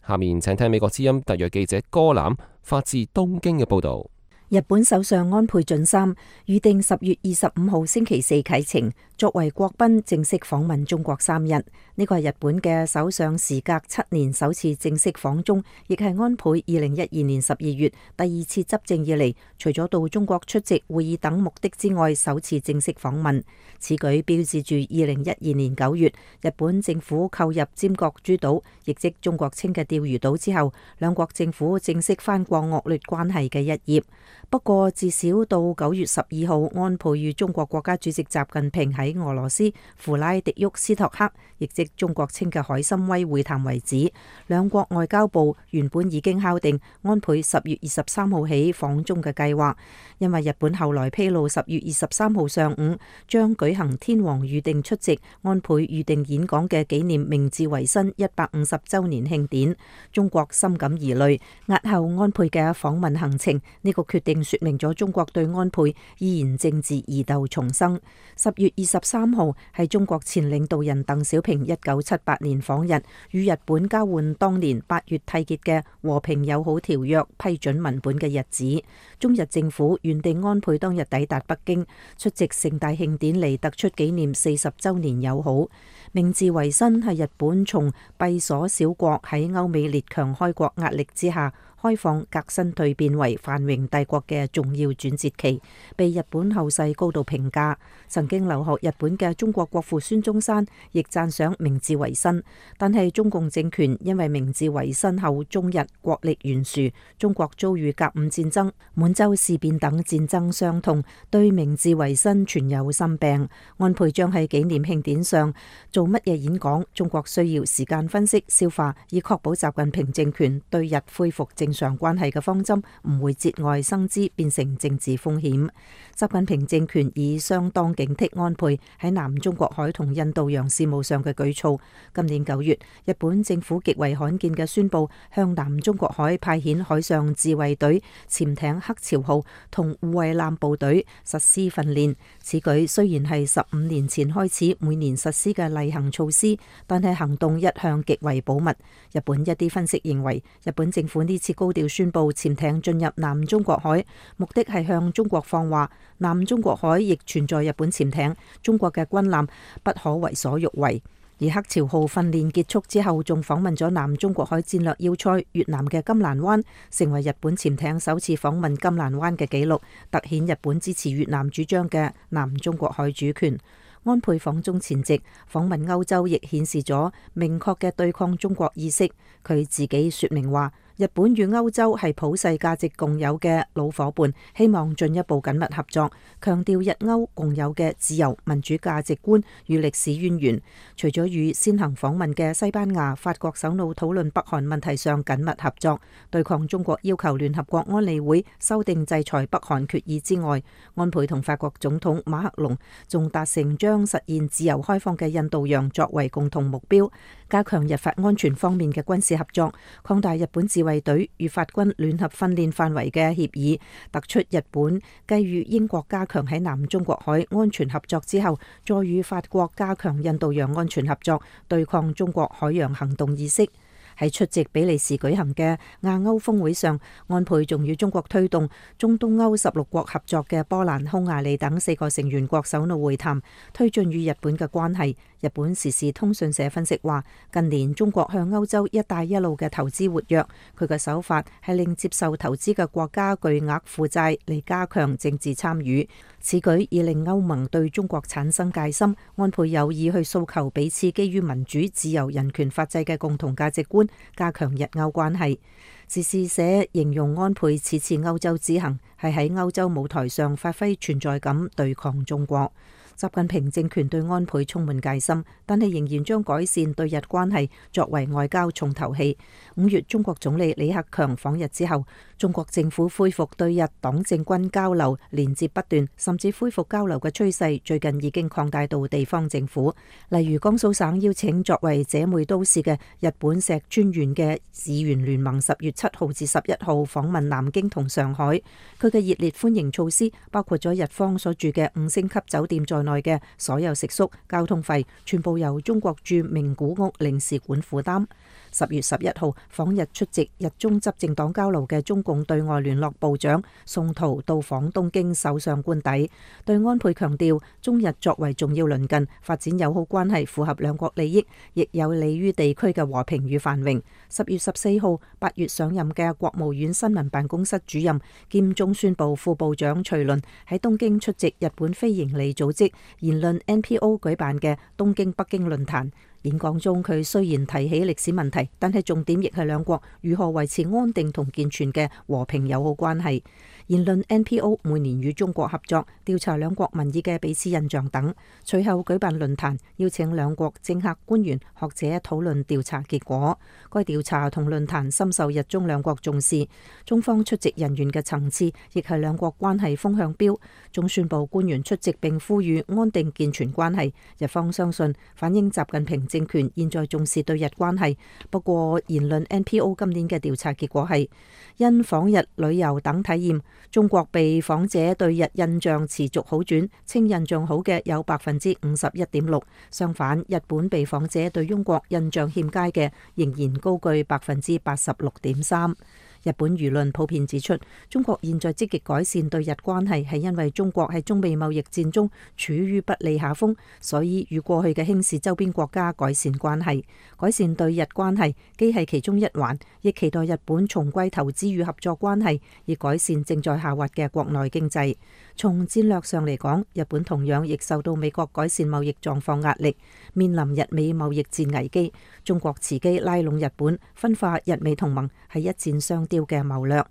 S1: 下面請聽美國之音特約記者歌欖發自東京嘅報道。
S6: 日本首相安倍晉三預定10月25號星期四啟程，作為國賓正式訪問中國3日。呢個係日本嘅首相時隔7年首次正式訪中，亦係安倍2012年12月第2次執政以嚟，除咗到中國出席會議等目的之外，首次正式訪問。此舉標誌住2012年9月日本政府購入尖閣諸島，亦即中國稱嘅釣魚島之後，兩國政府正式翻過惡劣關係嘅一頁。不過，至少到9月12號，安倍與中國國家主席習近平喺俄羅斯弗拉迪沃斯托克，亦即中國稱嘅海參崴會談為止。兩國外交部原本已經敲定安倍10月23號起訪中嘅計劃，因為日本後來披露10月23號上午將舉行天皇預定出席、安倍預定演講嘅紀念明治維新150週年慶典，中國深感疑慮，押後安倍嘅訪問行程。呢個決定說明咗中國對安倍依然政治疑竇重生。10月23號係中國前領導人鄧小平1978年訪日，與日本交換當年8月締結嘅和平友好條約批准文本嘅日子。中日政府原定安倍當日抵達北京，出席盛大慶典嚟突出紀念40週年友好。明治維新係日本從閉鎖小國喺歐美列強開國壓力之下開放革新蛻變為繁榮帝國嘅重要轉折期，被日本後世高度評價。曾經留學日本嘅中國國父孫中山亦讚賞明治維新，但係中共政權因為明治維新後中日國力懸殊，中國遭遇甲午戰爭、滿洲事變等戰爭傷痛，對明治維新存有心病。安倍將喺紀念慶典上做乜嘢演講？中國需要時間分析消化，以確保習近平政權對日恢復正常關係嘅方針唔會節外生枝，變成政治風險。習近平政權已相當警惕安倍喺南中國海同印度洋事務上嘅舉措。今年9月，日本政府極為罕見嘅宣布向南中國海派遣海上自衛隊潛艇黑潮號同護衛艦部隊實施訓練。此舉雖然係15年前開始每年實施嘅例行措施，但係行動一向極為保密。日本一啲分析認為，日本政府呢次高調宣布潛艇進入南中國海，目的係向中國放話，南中國海亦存在日本潛艇，中國嘅軍艦不可為所欲為。而黑潮號訓練結束之後，仲訪問咗南中國海戰略要塞越南嘅金蘭灣，成為日本潛艇首次訪問金蘭灣嘅紀錄，凸顯日本支持越南主張嘅南中國海主權。安倍訪中前夕訪問歐洲，亦顯示咗明確嘅對抗中國意識。佢自己說明話，日本與歐洲係普世價值共有嘅老伙伴，希望進一步緊密合作，強調日歐共有嘅自由民主價值觀與歷史淵源。除咗與先行訪問嘅西班牙、法國首腦討論北韓問題上緊密合作，對抗中國要求聯合國安理會修訂制裁北韓決議之外，安倍同法國總統馬克龍仲達成將實現自由開放嘅印度洋作為共同目標。加強日法安全方面嘅軍事合作，擴大日本自衛隊與法軍聯合訓練範圍嘅協議，突出日本繼與英國加強喺南中國海安全合作之後，再與法國加強印度洋安全合作，對抗中國海洋行動意識。喺出席比利時舉行嘅亞歐峰會上，安倍仲與中國推動中東歐16國合作嘅波蘭、匈牙利等4個成員國首腦會談，推進與日本嘅關係。日本時事通訊社分析話，近年中國向歐洲一帶一路嘅投資活躍，佢嘅手法係令接受投資嘅國家巨額負債嚟加強政治參與，此舉已令歐盟對中國產生戒心。安倍有意去訴求彼此基於民主、自由、人權、法治嘅共同價值觀，加強日歐關係。時事社形容安倍此次歐洲之行係喺歐洲舞台上發揮存在感，對抗中國。習近平政權對安倍充滿戒心，但係仍然將改善對日關係作為外交重頭戲。5月中國總理李克強訪日之後，中國政府恢復對日黨政軍交流，連接不斷，甚至恢復交流嘅趨勢最近已經擴大到地方政府。例如江蘇省邀請作為姐妹都市嘅日本石川縣嘅議員聯盟10月7號至11號訪問南京同上海，佢嘅熱烈歡迎措施包括咗日方所住嘅5星級酒店在內嘅所有食宿、交通費全部由中國駐名古屋領事館負擔。10月11號訪日出席日中執政黨交流嘅中共對外聯絡部長宋濤到訪東京首相官邸，對安倍強調中日作為重要鄰近，發展友好關係符合兩國利益，亦有利於地區嘅和平與繁榮。10月14號8月上任嘅國務院新聞辦公室主任兼中宣部副部長徐麟喺東京出席日本非營利組織言論 NPO 舉辦嘅東京北京論壇。演講中，佢雖然提起歷史問題，但係重點亦係兩國如何維持安定同健全嘅和平友好關係。言論 NPO 每年與中國合作調查兩國民意嘅彼此印象等，隨後舉辦論壇，邀請兩國政客、官員、學者討論調查結果。該調查同論壇深受日中兩國重視，中方出席人員嘅層次亦係兩國關係風向標。中宣部官員出席並呼籲安定健全關係，日方相信反映習近平政權現在重視對日關係。不過言論 NPO 今年嘅調查結果係，因訪日旅遊等體驗，中國被訪者對日印象持續好轉，稱印象好嘅有51.6%，相反日本被訪者對中國印象欠佳嘅仍然高居86.3%。日本輿論普遍指出，中國現在積極改善對日關係，係因為中國喺中美貿易戰中處於不利下風，所以與過去嘅輕視周邊國家改善關係。改善對日關係既係其中一環，亦期待日本重歸投資與合作關係，以改善正在下滑嘅國內經濟。從戰略上嚟講，日本同樣亦受到美國改善貿易狀況壓力，面臨日美貿易戰危機。中國伺機拉攏日本，分化日美同盟，係一箭雙雕嘅謀略。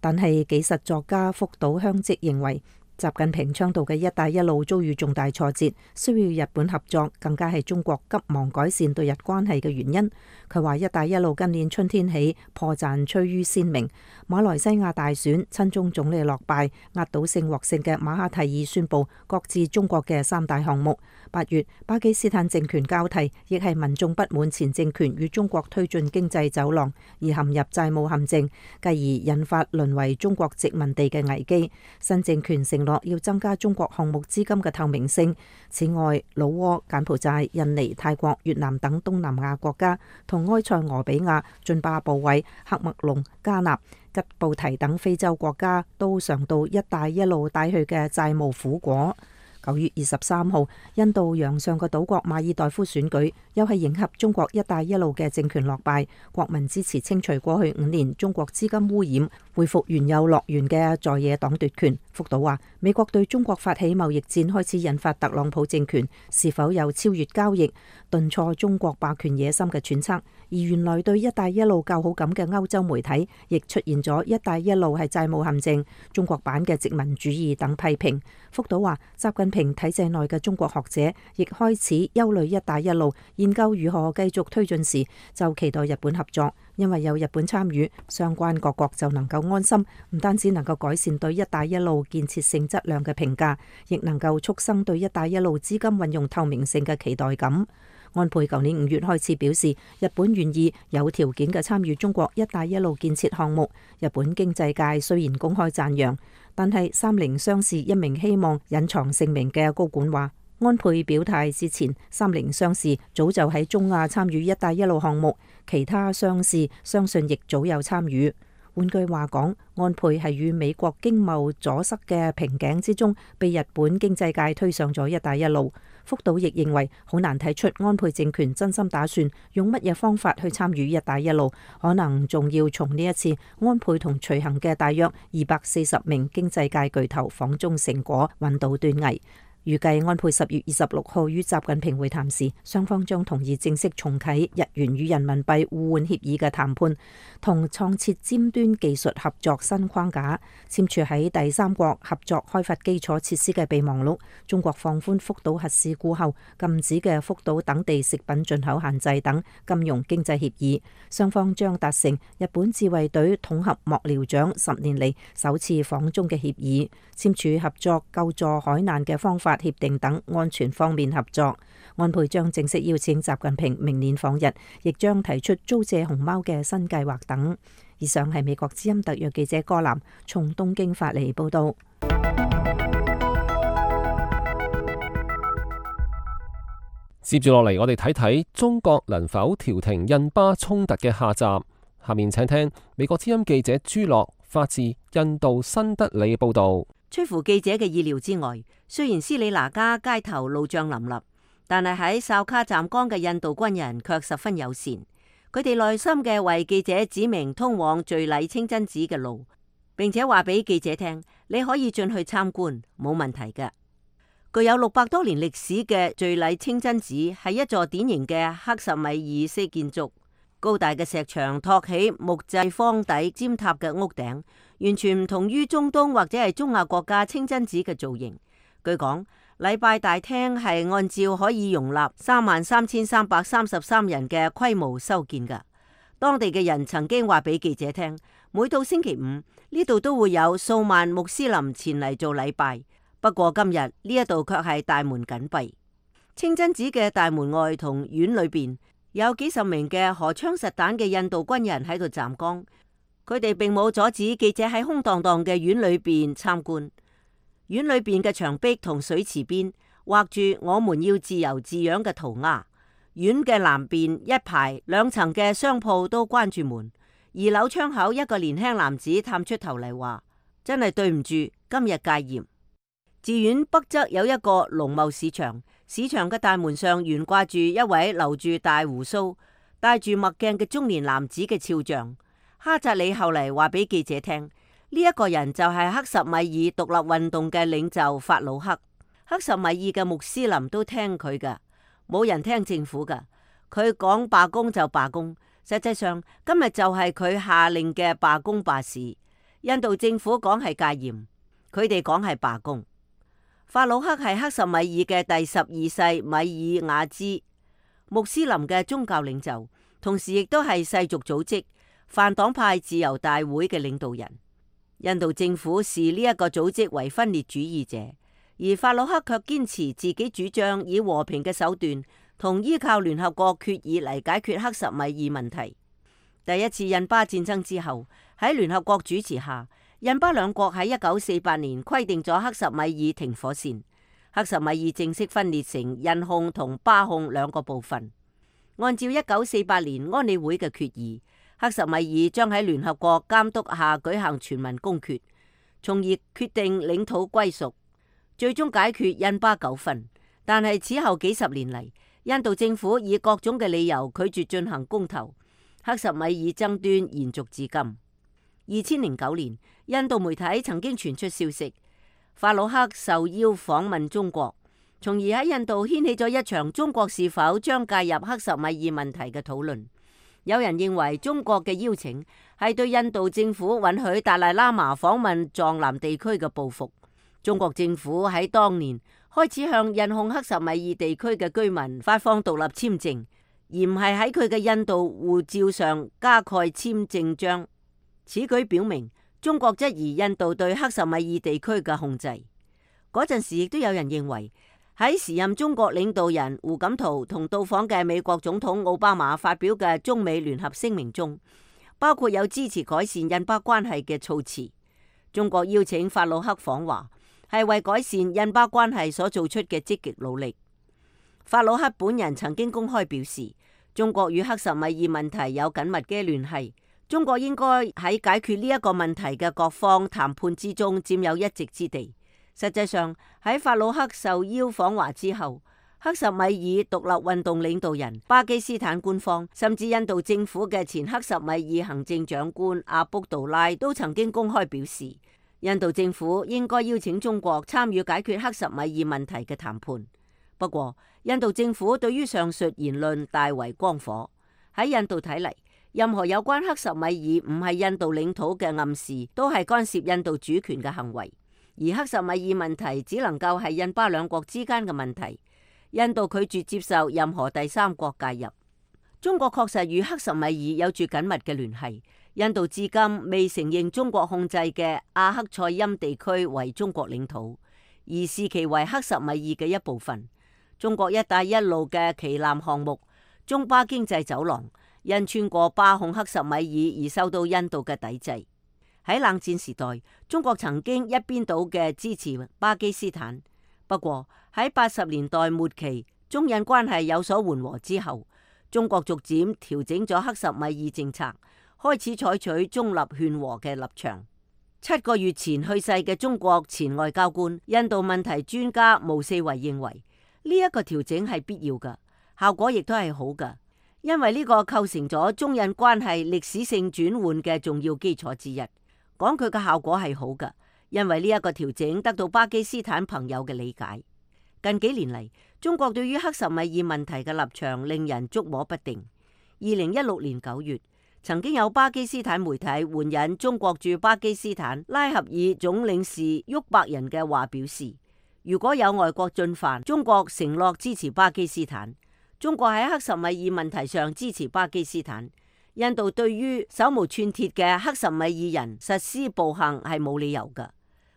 S6: 但係紀實作家福島香織認為，習近平倡導嘅一帶一路遭遇重大挫折，需要日本合作，更加係中國急忙改善對日關係嘅原因。佢話一帶一路今年春天起破綻趨於鮮明，馬來西亞大選親中總理落敗，壓倒性獲勝嘅馬哈蒂爾宣布擱置中國嘅3大項目。8月巴基斯坦政權交替，亦係民眾不滿前政權與中國推進經濟走廊而陷入債務陷阱，繼而引發淪為中國殖民地嘅危機。新政權承諾要增加中國項目資金嘅透明性。此外，老撾、柬埔寨、印尼、泰國、越南等東南亞國家同埃塞俄比亞、津巴布韋、喀麥隆、加納、吉布提等非洲國家都嘗到一帶一路帶去嘅債務苦果。9月23號，印度洋上嘅島國馬爾代夫選舉又係迎合中國一帶一路嘅政權落敗，國民支持清除過去5年中國資金污染，恢復原有樂園嘅在野黨奪權。福島話，美國對中國發起貿易戰開始引發特朗普政權是否有超越交易、頓挫中國霸權野心嘅揣測。而原來對一帶一路較好感嘅歐洲媒體亦出現咗一帶一路係債務陷阱、中國版嘅殖民主義等批評。福島話，習近平體制內嘅中國學者亦開始憂慮一帶一路研究如何繼續推進時，就期待日本合作，因為有日本參與，相關各國就能夠安心，唔單止能夠改善對一帶一路建設性質量嘅評價，亦能夠促生對一帶一路資金運用透明性嘅期待感。安倍舊年5月開始表示，日本願意有條件嘅參與中國一帶一路建設項目。日本經濟界雖然公開讚揚，但係三菱商事一名希望隱藏姓名嘅高管話，安倍表態之前，三菱商事早就喺中亞參與一帶一路項目，其他商事相信亦早有參與。換句話講，安倍係與美國經貿阻塞嘅瓶頸之中，被日本經濟界推上咗一帶一路。福島亦認為好難睇出安倍政權真心打算用乜嘢方法去參與一帶一路，可能仲要從呢一次安倍同隨行嘅大約240名經濟界巨頭訪中成果揾到端倪。預計安倍10月26號與習近平會談時，雙方將同意正式重啟日元與人民幣互換協議嘅談判，同創設尖端技術合作新框架，簽署喺第三國合作開發基礎設施嘅備忘錄。中國放寬福島核事故後禁止嘅福島等地食品進口限制等金融經濟協議，雙方將達成日本自衛隊統合幕僚長10年嚟首次訪中嘅協議，簽署合作救助海難嘅方法協定等安全方面合作。安倍將正式邀請習近平明年訪日，亦將提出租借熊貓嘅新計劃等。以上係美國之音特約記者柯南從東京發嚟報道。
S1: 接住落嚟，我哋睇睇中國能否調停印巴衝突嘅下集。下面請聽美國之音記者朱樂發自印度新德里嘅報道。
S5: 出乎記者嘅意料之外，雖然斯里蘭卡街頭路障林立，但係喺哨卡站崗嘅印度軍人卻十分友善。佢哋耐心嘅為記者指明通往敘禮清真寺嘅路，並且話俾記者聽，你可以進去參觀，冇問題嘅。具有600多年歷史嘅敘禮清真寺係一座典型嘅克什米爾式建築，高大嘅石牆托起木製方底尖塔嘅屋頂，完全唔同於中東或者係中亞國家清真寺嘅造型。據講，禮拜大廳係按照可以容納33,333人嘅規模修建㗎。當地嘅人曾經話俾記者聽，每到星期五呢度都會有數萬穆斯林前嚟做禮拜。不過今日呢一度卻係大門緊閉。清真寺嘅大門外同院裏邊有幾十名嘅荷槍實彈嘅印度軍人喺度站崗，佢哋並冇阻止記者喺空蕩蕩嘅院裏邊參觀。院裏邊嘅牆壁同水池邊畫住我們要自由字樣嘅塗鴉。院嘅南邊一排2層嘅商鋪都關住門，2樓窗口一個年輕男子探出頭嚟話：真係對唔住，今日戒嚴。寺院北側有一個農貿市場，市場嘅大門上懸掛住一位留住大鬍鬚、戴住墨鏡嘅中年男子嘅肖像。哈扎里後嚟話俾記者聽，呢一個人就係克什米爾獨立運動嘅領袖法魯克。克什米爾嘅穆斯林都聽佢噶，冇人聽政府噶。佢講罷工就罷工，實際上今日就係佢下令嘅罷工罷市。印度政府講係戒嚴，佢哋講係罷工。法魯克係克什米爾嘅第12世米爾瓦茲穆斯林嘅宗教領袖，同時亦都係世俗組織泛黨派自由大會嘅領導人。印度政府視呢一個組織為分裂主義者，而法魯克卻堅持自己主張以和平嘅手段同依靠聯合國決議嚟解決克什米爾問題。第一次印巴戰爭之後，喺聯合國主持下，印巴兩國喺1948年規定咗克什米爾停火線，克什米爾正式分裂成印控同巴控2個部分。按照1948年安理會嘅決議，克什米爾將喺聯合國監督下舉行全民公決，從而決定領土歸屬，最終解決印巴糾紛。但係此後幾十年嚟，印度政府以各種嘅理由拒絕進行公投，克什米爾爭端延續至今。2009年，印度媒體曾經傳出消息，法魯克受邀訪問中國，從而喺印度掀起咗一場中國是否將介入克什米爾問題嘅討論。有人認為中國嘅邀請係對印度政府允許達賴喇嘛訪問藏南地區嘅報復。中國政府喺當年開始向印控克什米爾地區嘅居民發放獨立簽證，而唔係喺佢嘅印度護照上加蓋簽證章。此舉表明中國質疑印度對克什米爾地區嘅控制。嗰陣時亦都有人認為喺時任中國領導人胡錦濤同到訪嘅美國總統奧巴馬發表嘅中美聯合聲明中，包括有支持改善印巴關係嘅措辭。中國邀請法魯克訪華，係為改善印巴關係所做出嘅積極努力。法魯克本人曾經公開表示，中國與克什米爾問題有緊密嘅聯繫，中國應該喺解決呢一個問題嘅各方談判之中佔有一席之地。實際上喺法魯克受邀訪華之後，克什米爾獨立運動領導人、巴基斯坦官方，甚至印度政府嘅前克什米爾行政長官阿卜杜拉都曾經公開表示，印度政府應該邀請中國參與解決克什米爾問題嘅談判。不過，印度政府對於上述言論大為光火。喺印度睇嚟，任何有關克什米爾唔係印度領土嘅暗示，都係干涉印度主權嘅行為。而克什米爾問題只能夠係印巴兩國之間嘅問題，印度拒絕接受任何第三國介入。中國確實與克什米爾有住緊密嘅聯繫，印度至今未承認中國控制嘅阿克塞欽地區為中國領土，而視其為克什米爾嘅一部分。中國一帶一路嘅旗艦項目中巴經濟走廊因穿過巴控克什米爾而受到印度嘅抵制。喺冷戰時代，中國曾經一邊倒嘅支持巴基斯坦。不過喺80年代末期，中印關係有所緩和之後，中國逐漸調整咗克什米爾政策，開始採取中立勸和嘅立場。7個月前去世嘅中國前外交官、印度問題專家毛四維認為，呢一個調整係必要嘅，效果亦都係好嘅，因為呢個構成咗中印關係歷史性轉換嘅重要基礎之一。講佢嘅效果係好嘅，因為呢一個調整得到巴基斯坦朋友嘅理解。近幾年嚟，中國對於克什米爾問題嘅立場令人捉摸不定。2016年9月，曾經有巴基斯坦媒體援引中國駐巴基斯坦拉合爾總領事沃伯人嘅話表示，如果有外國進犯，中國承諾支持巴基斯坦。中國喺克什米爾問題上支持巴基斯坦。印度對於手無寸鐵嘅克什米爾人實施暴行係冇理由嘅。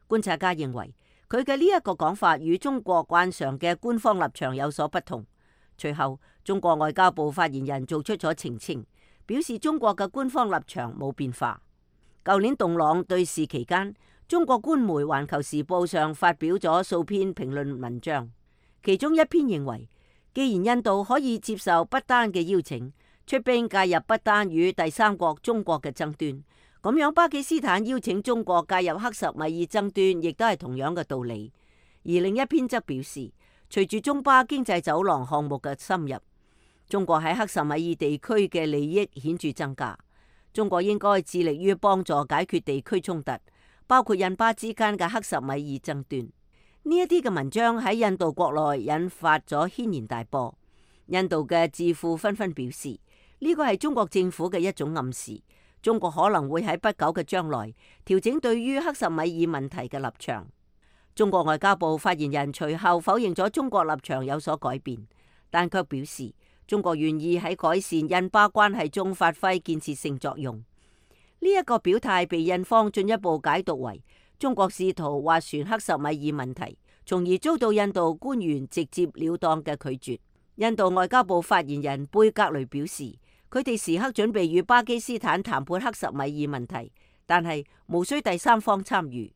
S5: 觀察家認為，佢嘅呢一個講法與中國慣常嘅官方立場有所不同。隨後，中國外交部發言人做出咗澄清，表示中國嘅官方立場冇變化。舊年洞朗對峙期間，中國官媒《環球時報》上發表咗數篇評論文章，其中一篇認為，既然印度可以接受不丹嘅邀請，出兵介入不丹與第三國中國嘅爭端，咁樣巴基斯坦邀請中國介入克什米爾爭端，亦都係同樣嘅道理。而另一篇則表示，隨住中巴經濟走廊項目嘅深入，中國喺克什米爾地區嘅利益顯著增加，中國應該致力於幫助解決地區衝突，包括印巴之間嘅克什米爾爭端。呢一啲嘅文章喺印度國內引發咗軒然大波，印度嘅智庫紛紛表示，呢個係中國政府嘅一種暗示，中國可能會喺不久嘅將來調整對於克什米爾問題嘅立場。中國外交部發言人隨後否認咗中國立場有所改變，但卻表示中國願意喺改善印巴關係中發揮建設性作用。呢一個表態被印方進一步解讀為中國試圖斡旋克什米爾問題，從而遭到印度官員直接了當嘅拒絕。印度外交部發言人貝格雷表示，佢哋時刻準備與巴基斯坦談判克什米爾問題，但係無需第三方參與。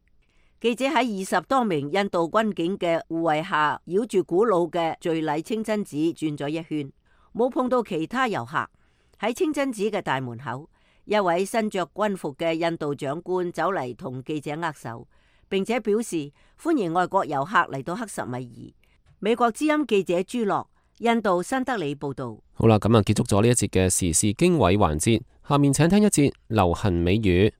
S5: 記者喺20多名印度軍警嘅護衛下，繞住古老嘅敘禮清真寺轉咗一圈，冇碰到其他遊客。喺清真寺嘅大門口，一位身着軍服嘅印度長官走嚟同記者握手，並且表示歡迎外國遊客嚟到克什米爾。美國之音記者朱樂，印度新德里報道。
S1: 好啦，咁啊結束咗呢一節嘅時事經緯環節，下面請聽一節流行美語。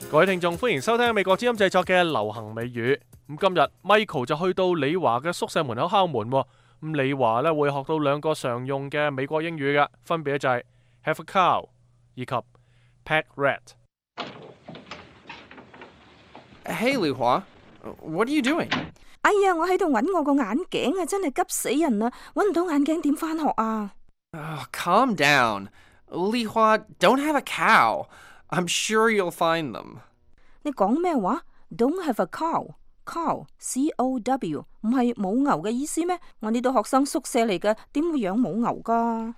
S4: 各位聽眾，歡迎收聽美國之音製作嘅流行美語。咁今日 Michael 就去到李華嘅宿舍門口敲門。咁李華咧會學到兩個常用嘅美國英語嘅，分別就係 have a cow 以及 pet rat。Hey 李華，What are you doing？
S7: 哎呀，我喺度揾我個眼鏡啊，真係急死人啦！揾唔到眼鏡點返學啊
S8: ？Calm down， 李華 ，Don't have a cow。I'm sure you'll find them。
S7: 你講咩話？ Don't have a cow. Cow, C-O-W， 唔係母牛嘅意思咩？我呢度學生宿舍嚟嘅，點會養母牛㗎？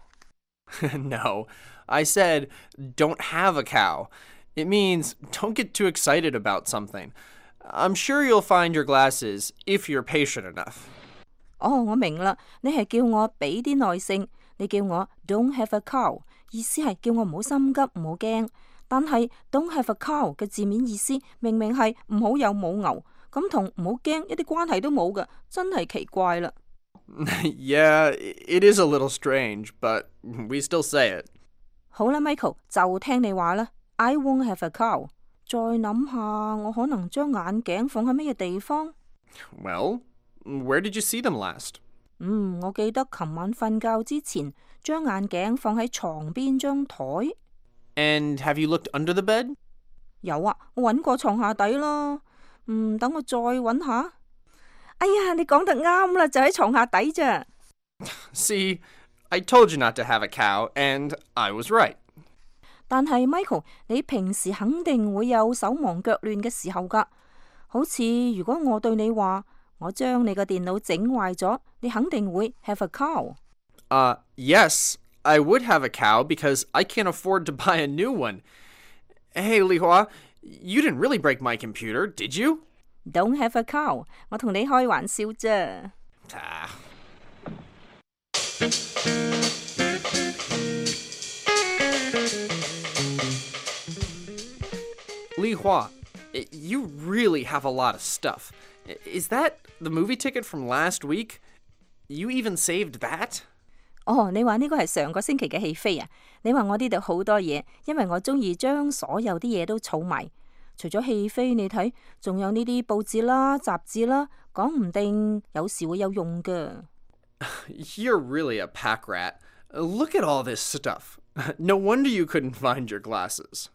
S8: No, I said don't have a cow. It means don't get too excited about something. I'm sure you'll find your glasses if you're patient enough.
S7: 哦，我明啦，你係叫我俾啲耐性，你叫我 don't have a cow， 意思係叫我唔好心急，唔好驚。但係 don't have a cow 嘅字面意思明明係唔好有母牛，咁同唔好驚一啲關係都冇㗎，真係奇怪啦。
S8: Yeah, it is a little strange, but we still say it.
S7: 好啦 ，Michael 就聽你話啦。I won't have a cow。再諗下，我可能將眼鏡放喺乜嘢地方？
S8: Well, where did you see them last?
S7: 我記得琴晚瞓覺之前，將眼鏡放喺床邊張台。
S8: And have you looked under the bed?
S7: 有啊，我揾過床下底啦。等我再揾下。哎呀，你講得啱啦，就喺床下底咋。
S8: See, I told you not to have a cow, and I was right.
S7: 但係 Michael， 你平時肯定會有手忙腳亂嘅時候㗎。好似如果我對你話，我將你個電腦整壞咗，你肯定會 have a cow。Yes,
S8: I would have a cow because I can't afford to buy a new one. Hey, Lihua, you didn't really break my computer, did you?
S7: Don't have a cow， 我同你開玩笑啫。
S8: Lihua, you really have a lot of stuff. Is that the movie ticket from last week? You even saved that?
S7: 哦，你話呢個係上個星期嘅戲飛啊？你話我呢度好多嘢，因為我中意將所有啲嘢都儲埋。除咗戲飛，你睇，仲有呢啲報紙啦、雜誌啦，講唔定有時會有用㗎。
S8: You're really a pack rat. Look at all this stuff. No wonder you couldn't find your glasses.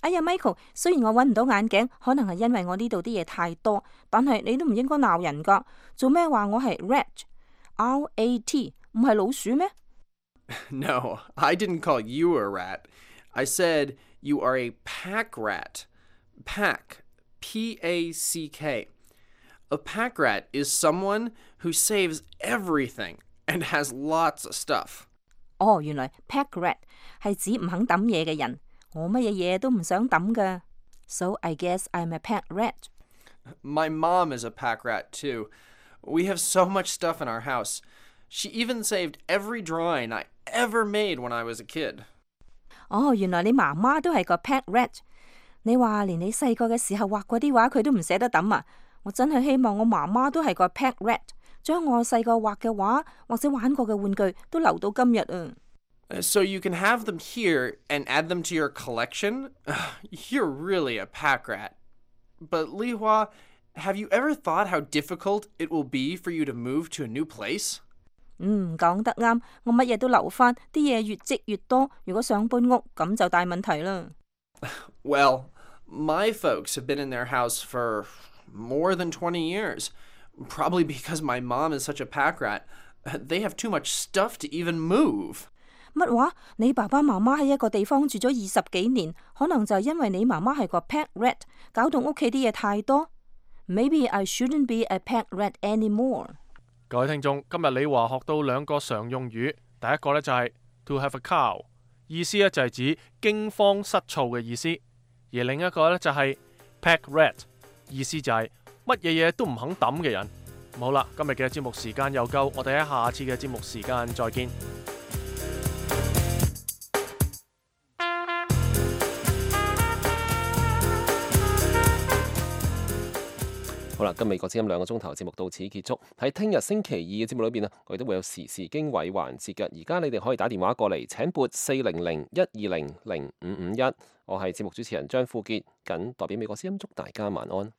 S7: 哎呀 ，Michael， 雖然我揾唔到眼鏡，可能係因為我呢度啲嘢太多，但係你都唔應該鬧人㗎。做咩話我係 rat？R-A-T 唔係老鼠咩？
S8: No, I didn't call you a rat. I said you are a pack rat. Pack, P-A-C-K. A pack rat is someone who saves everything and has lots of stuff.
S7: 哦，原來 pack rat 係指唔肯抌嘢嘅人。我乜嘢嘢都唔想抌㗎。So I guess I'm a pack rat.
S8: My mom is a pack rat too. We have so much stuff in our house. She even saved every drawing I ever made when I was a kid.
S7: 哦，原來你媽媽都係個 pack rat。你話連你細個嘅時候畫嗰啲畫佢都唔捨得抌啊！我真係希望我媽媽都係個 pack rat， 將我細個畫嘅畫或者玩過嘅玩具都留到今日啊！
S8: So you can have them here and add them to your collection? You're really a pack rat. But Lihua, have you ever thought how difficult it will be for you to move to a new place?
S7: 講得啱，我乜嘢都留返，啲嘢越積越多，如果想搬屋咁就大問題啦。
S8: Well, my folks have been in their house for more than 20 years. Probably because my mom is such a pack rat. They have too much stuff to even move.
S7: 乜話？你爸爸媽媽喺一個地方住咗20幾年，可能就係因為你媽媽係個 pack rat， 搞到屋企啲嘢太多。Maybe I shouldn't be a pack rat anymore。
S4: 各位聽眾，今日李華學到兩個常用語，第一個呢就係 to have a cow， 意思呢就係指驚慌失措嘅意思，而另一個呢就係 pack rat， 意思就係乜嘢嘢都唔肯抌嘅人。好啦，今日嘅節目時間又夠，我哋喺下次嘅節目時間再見。
S1: 好啦，今美國之音2個鐘頭節目到此結束。喺聽日星期二嘅節目裏邊我哋都會有時事經緯環節嘅。而家你哋可以打電話過嚟，請撥400-120-0551。我係節目主持人張富傑，謹代表美國之音祝大家晚安。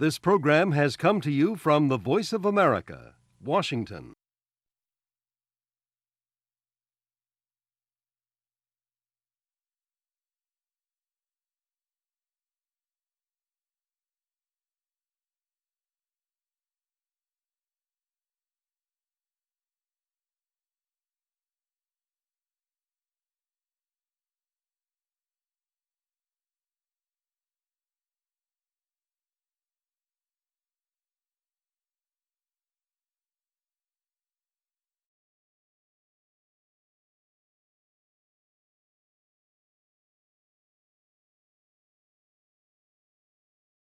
S9: This program has come to you from the Voice of America, Washington.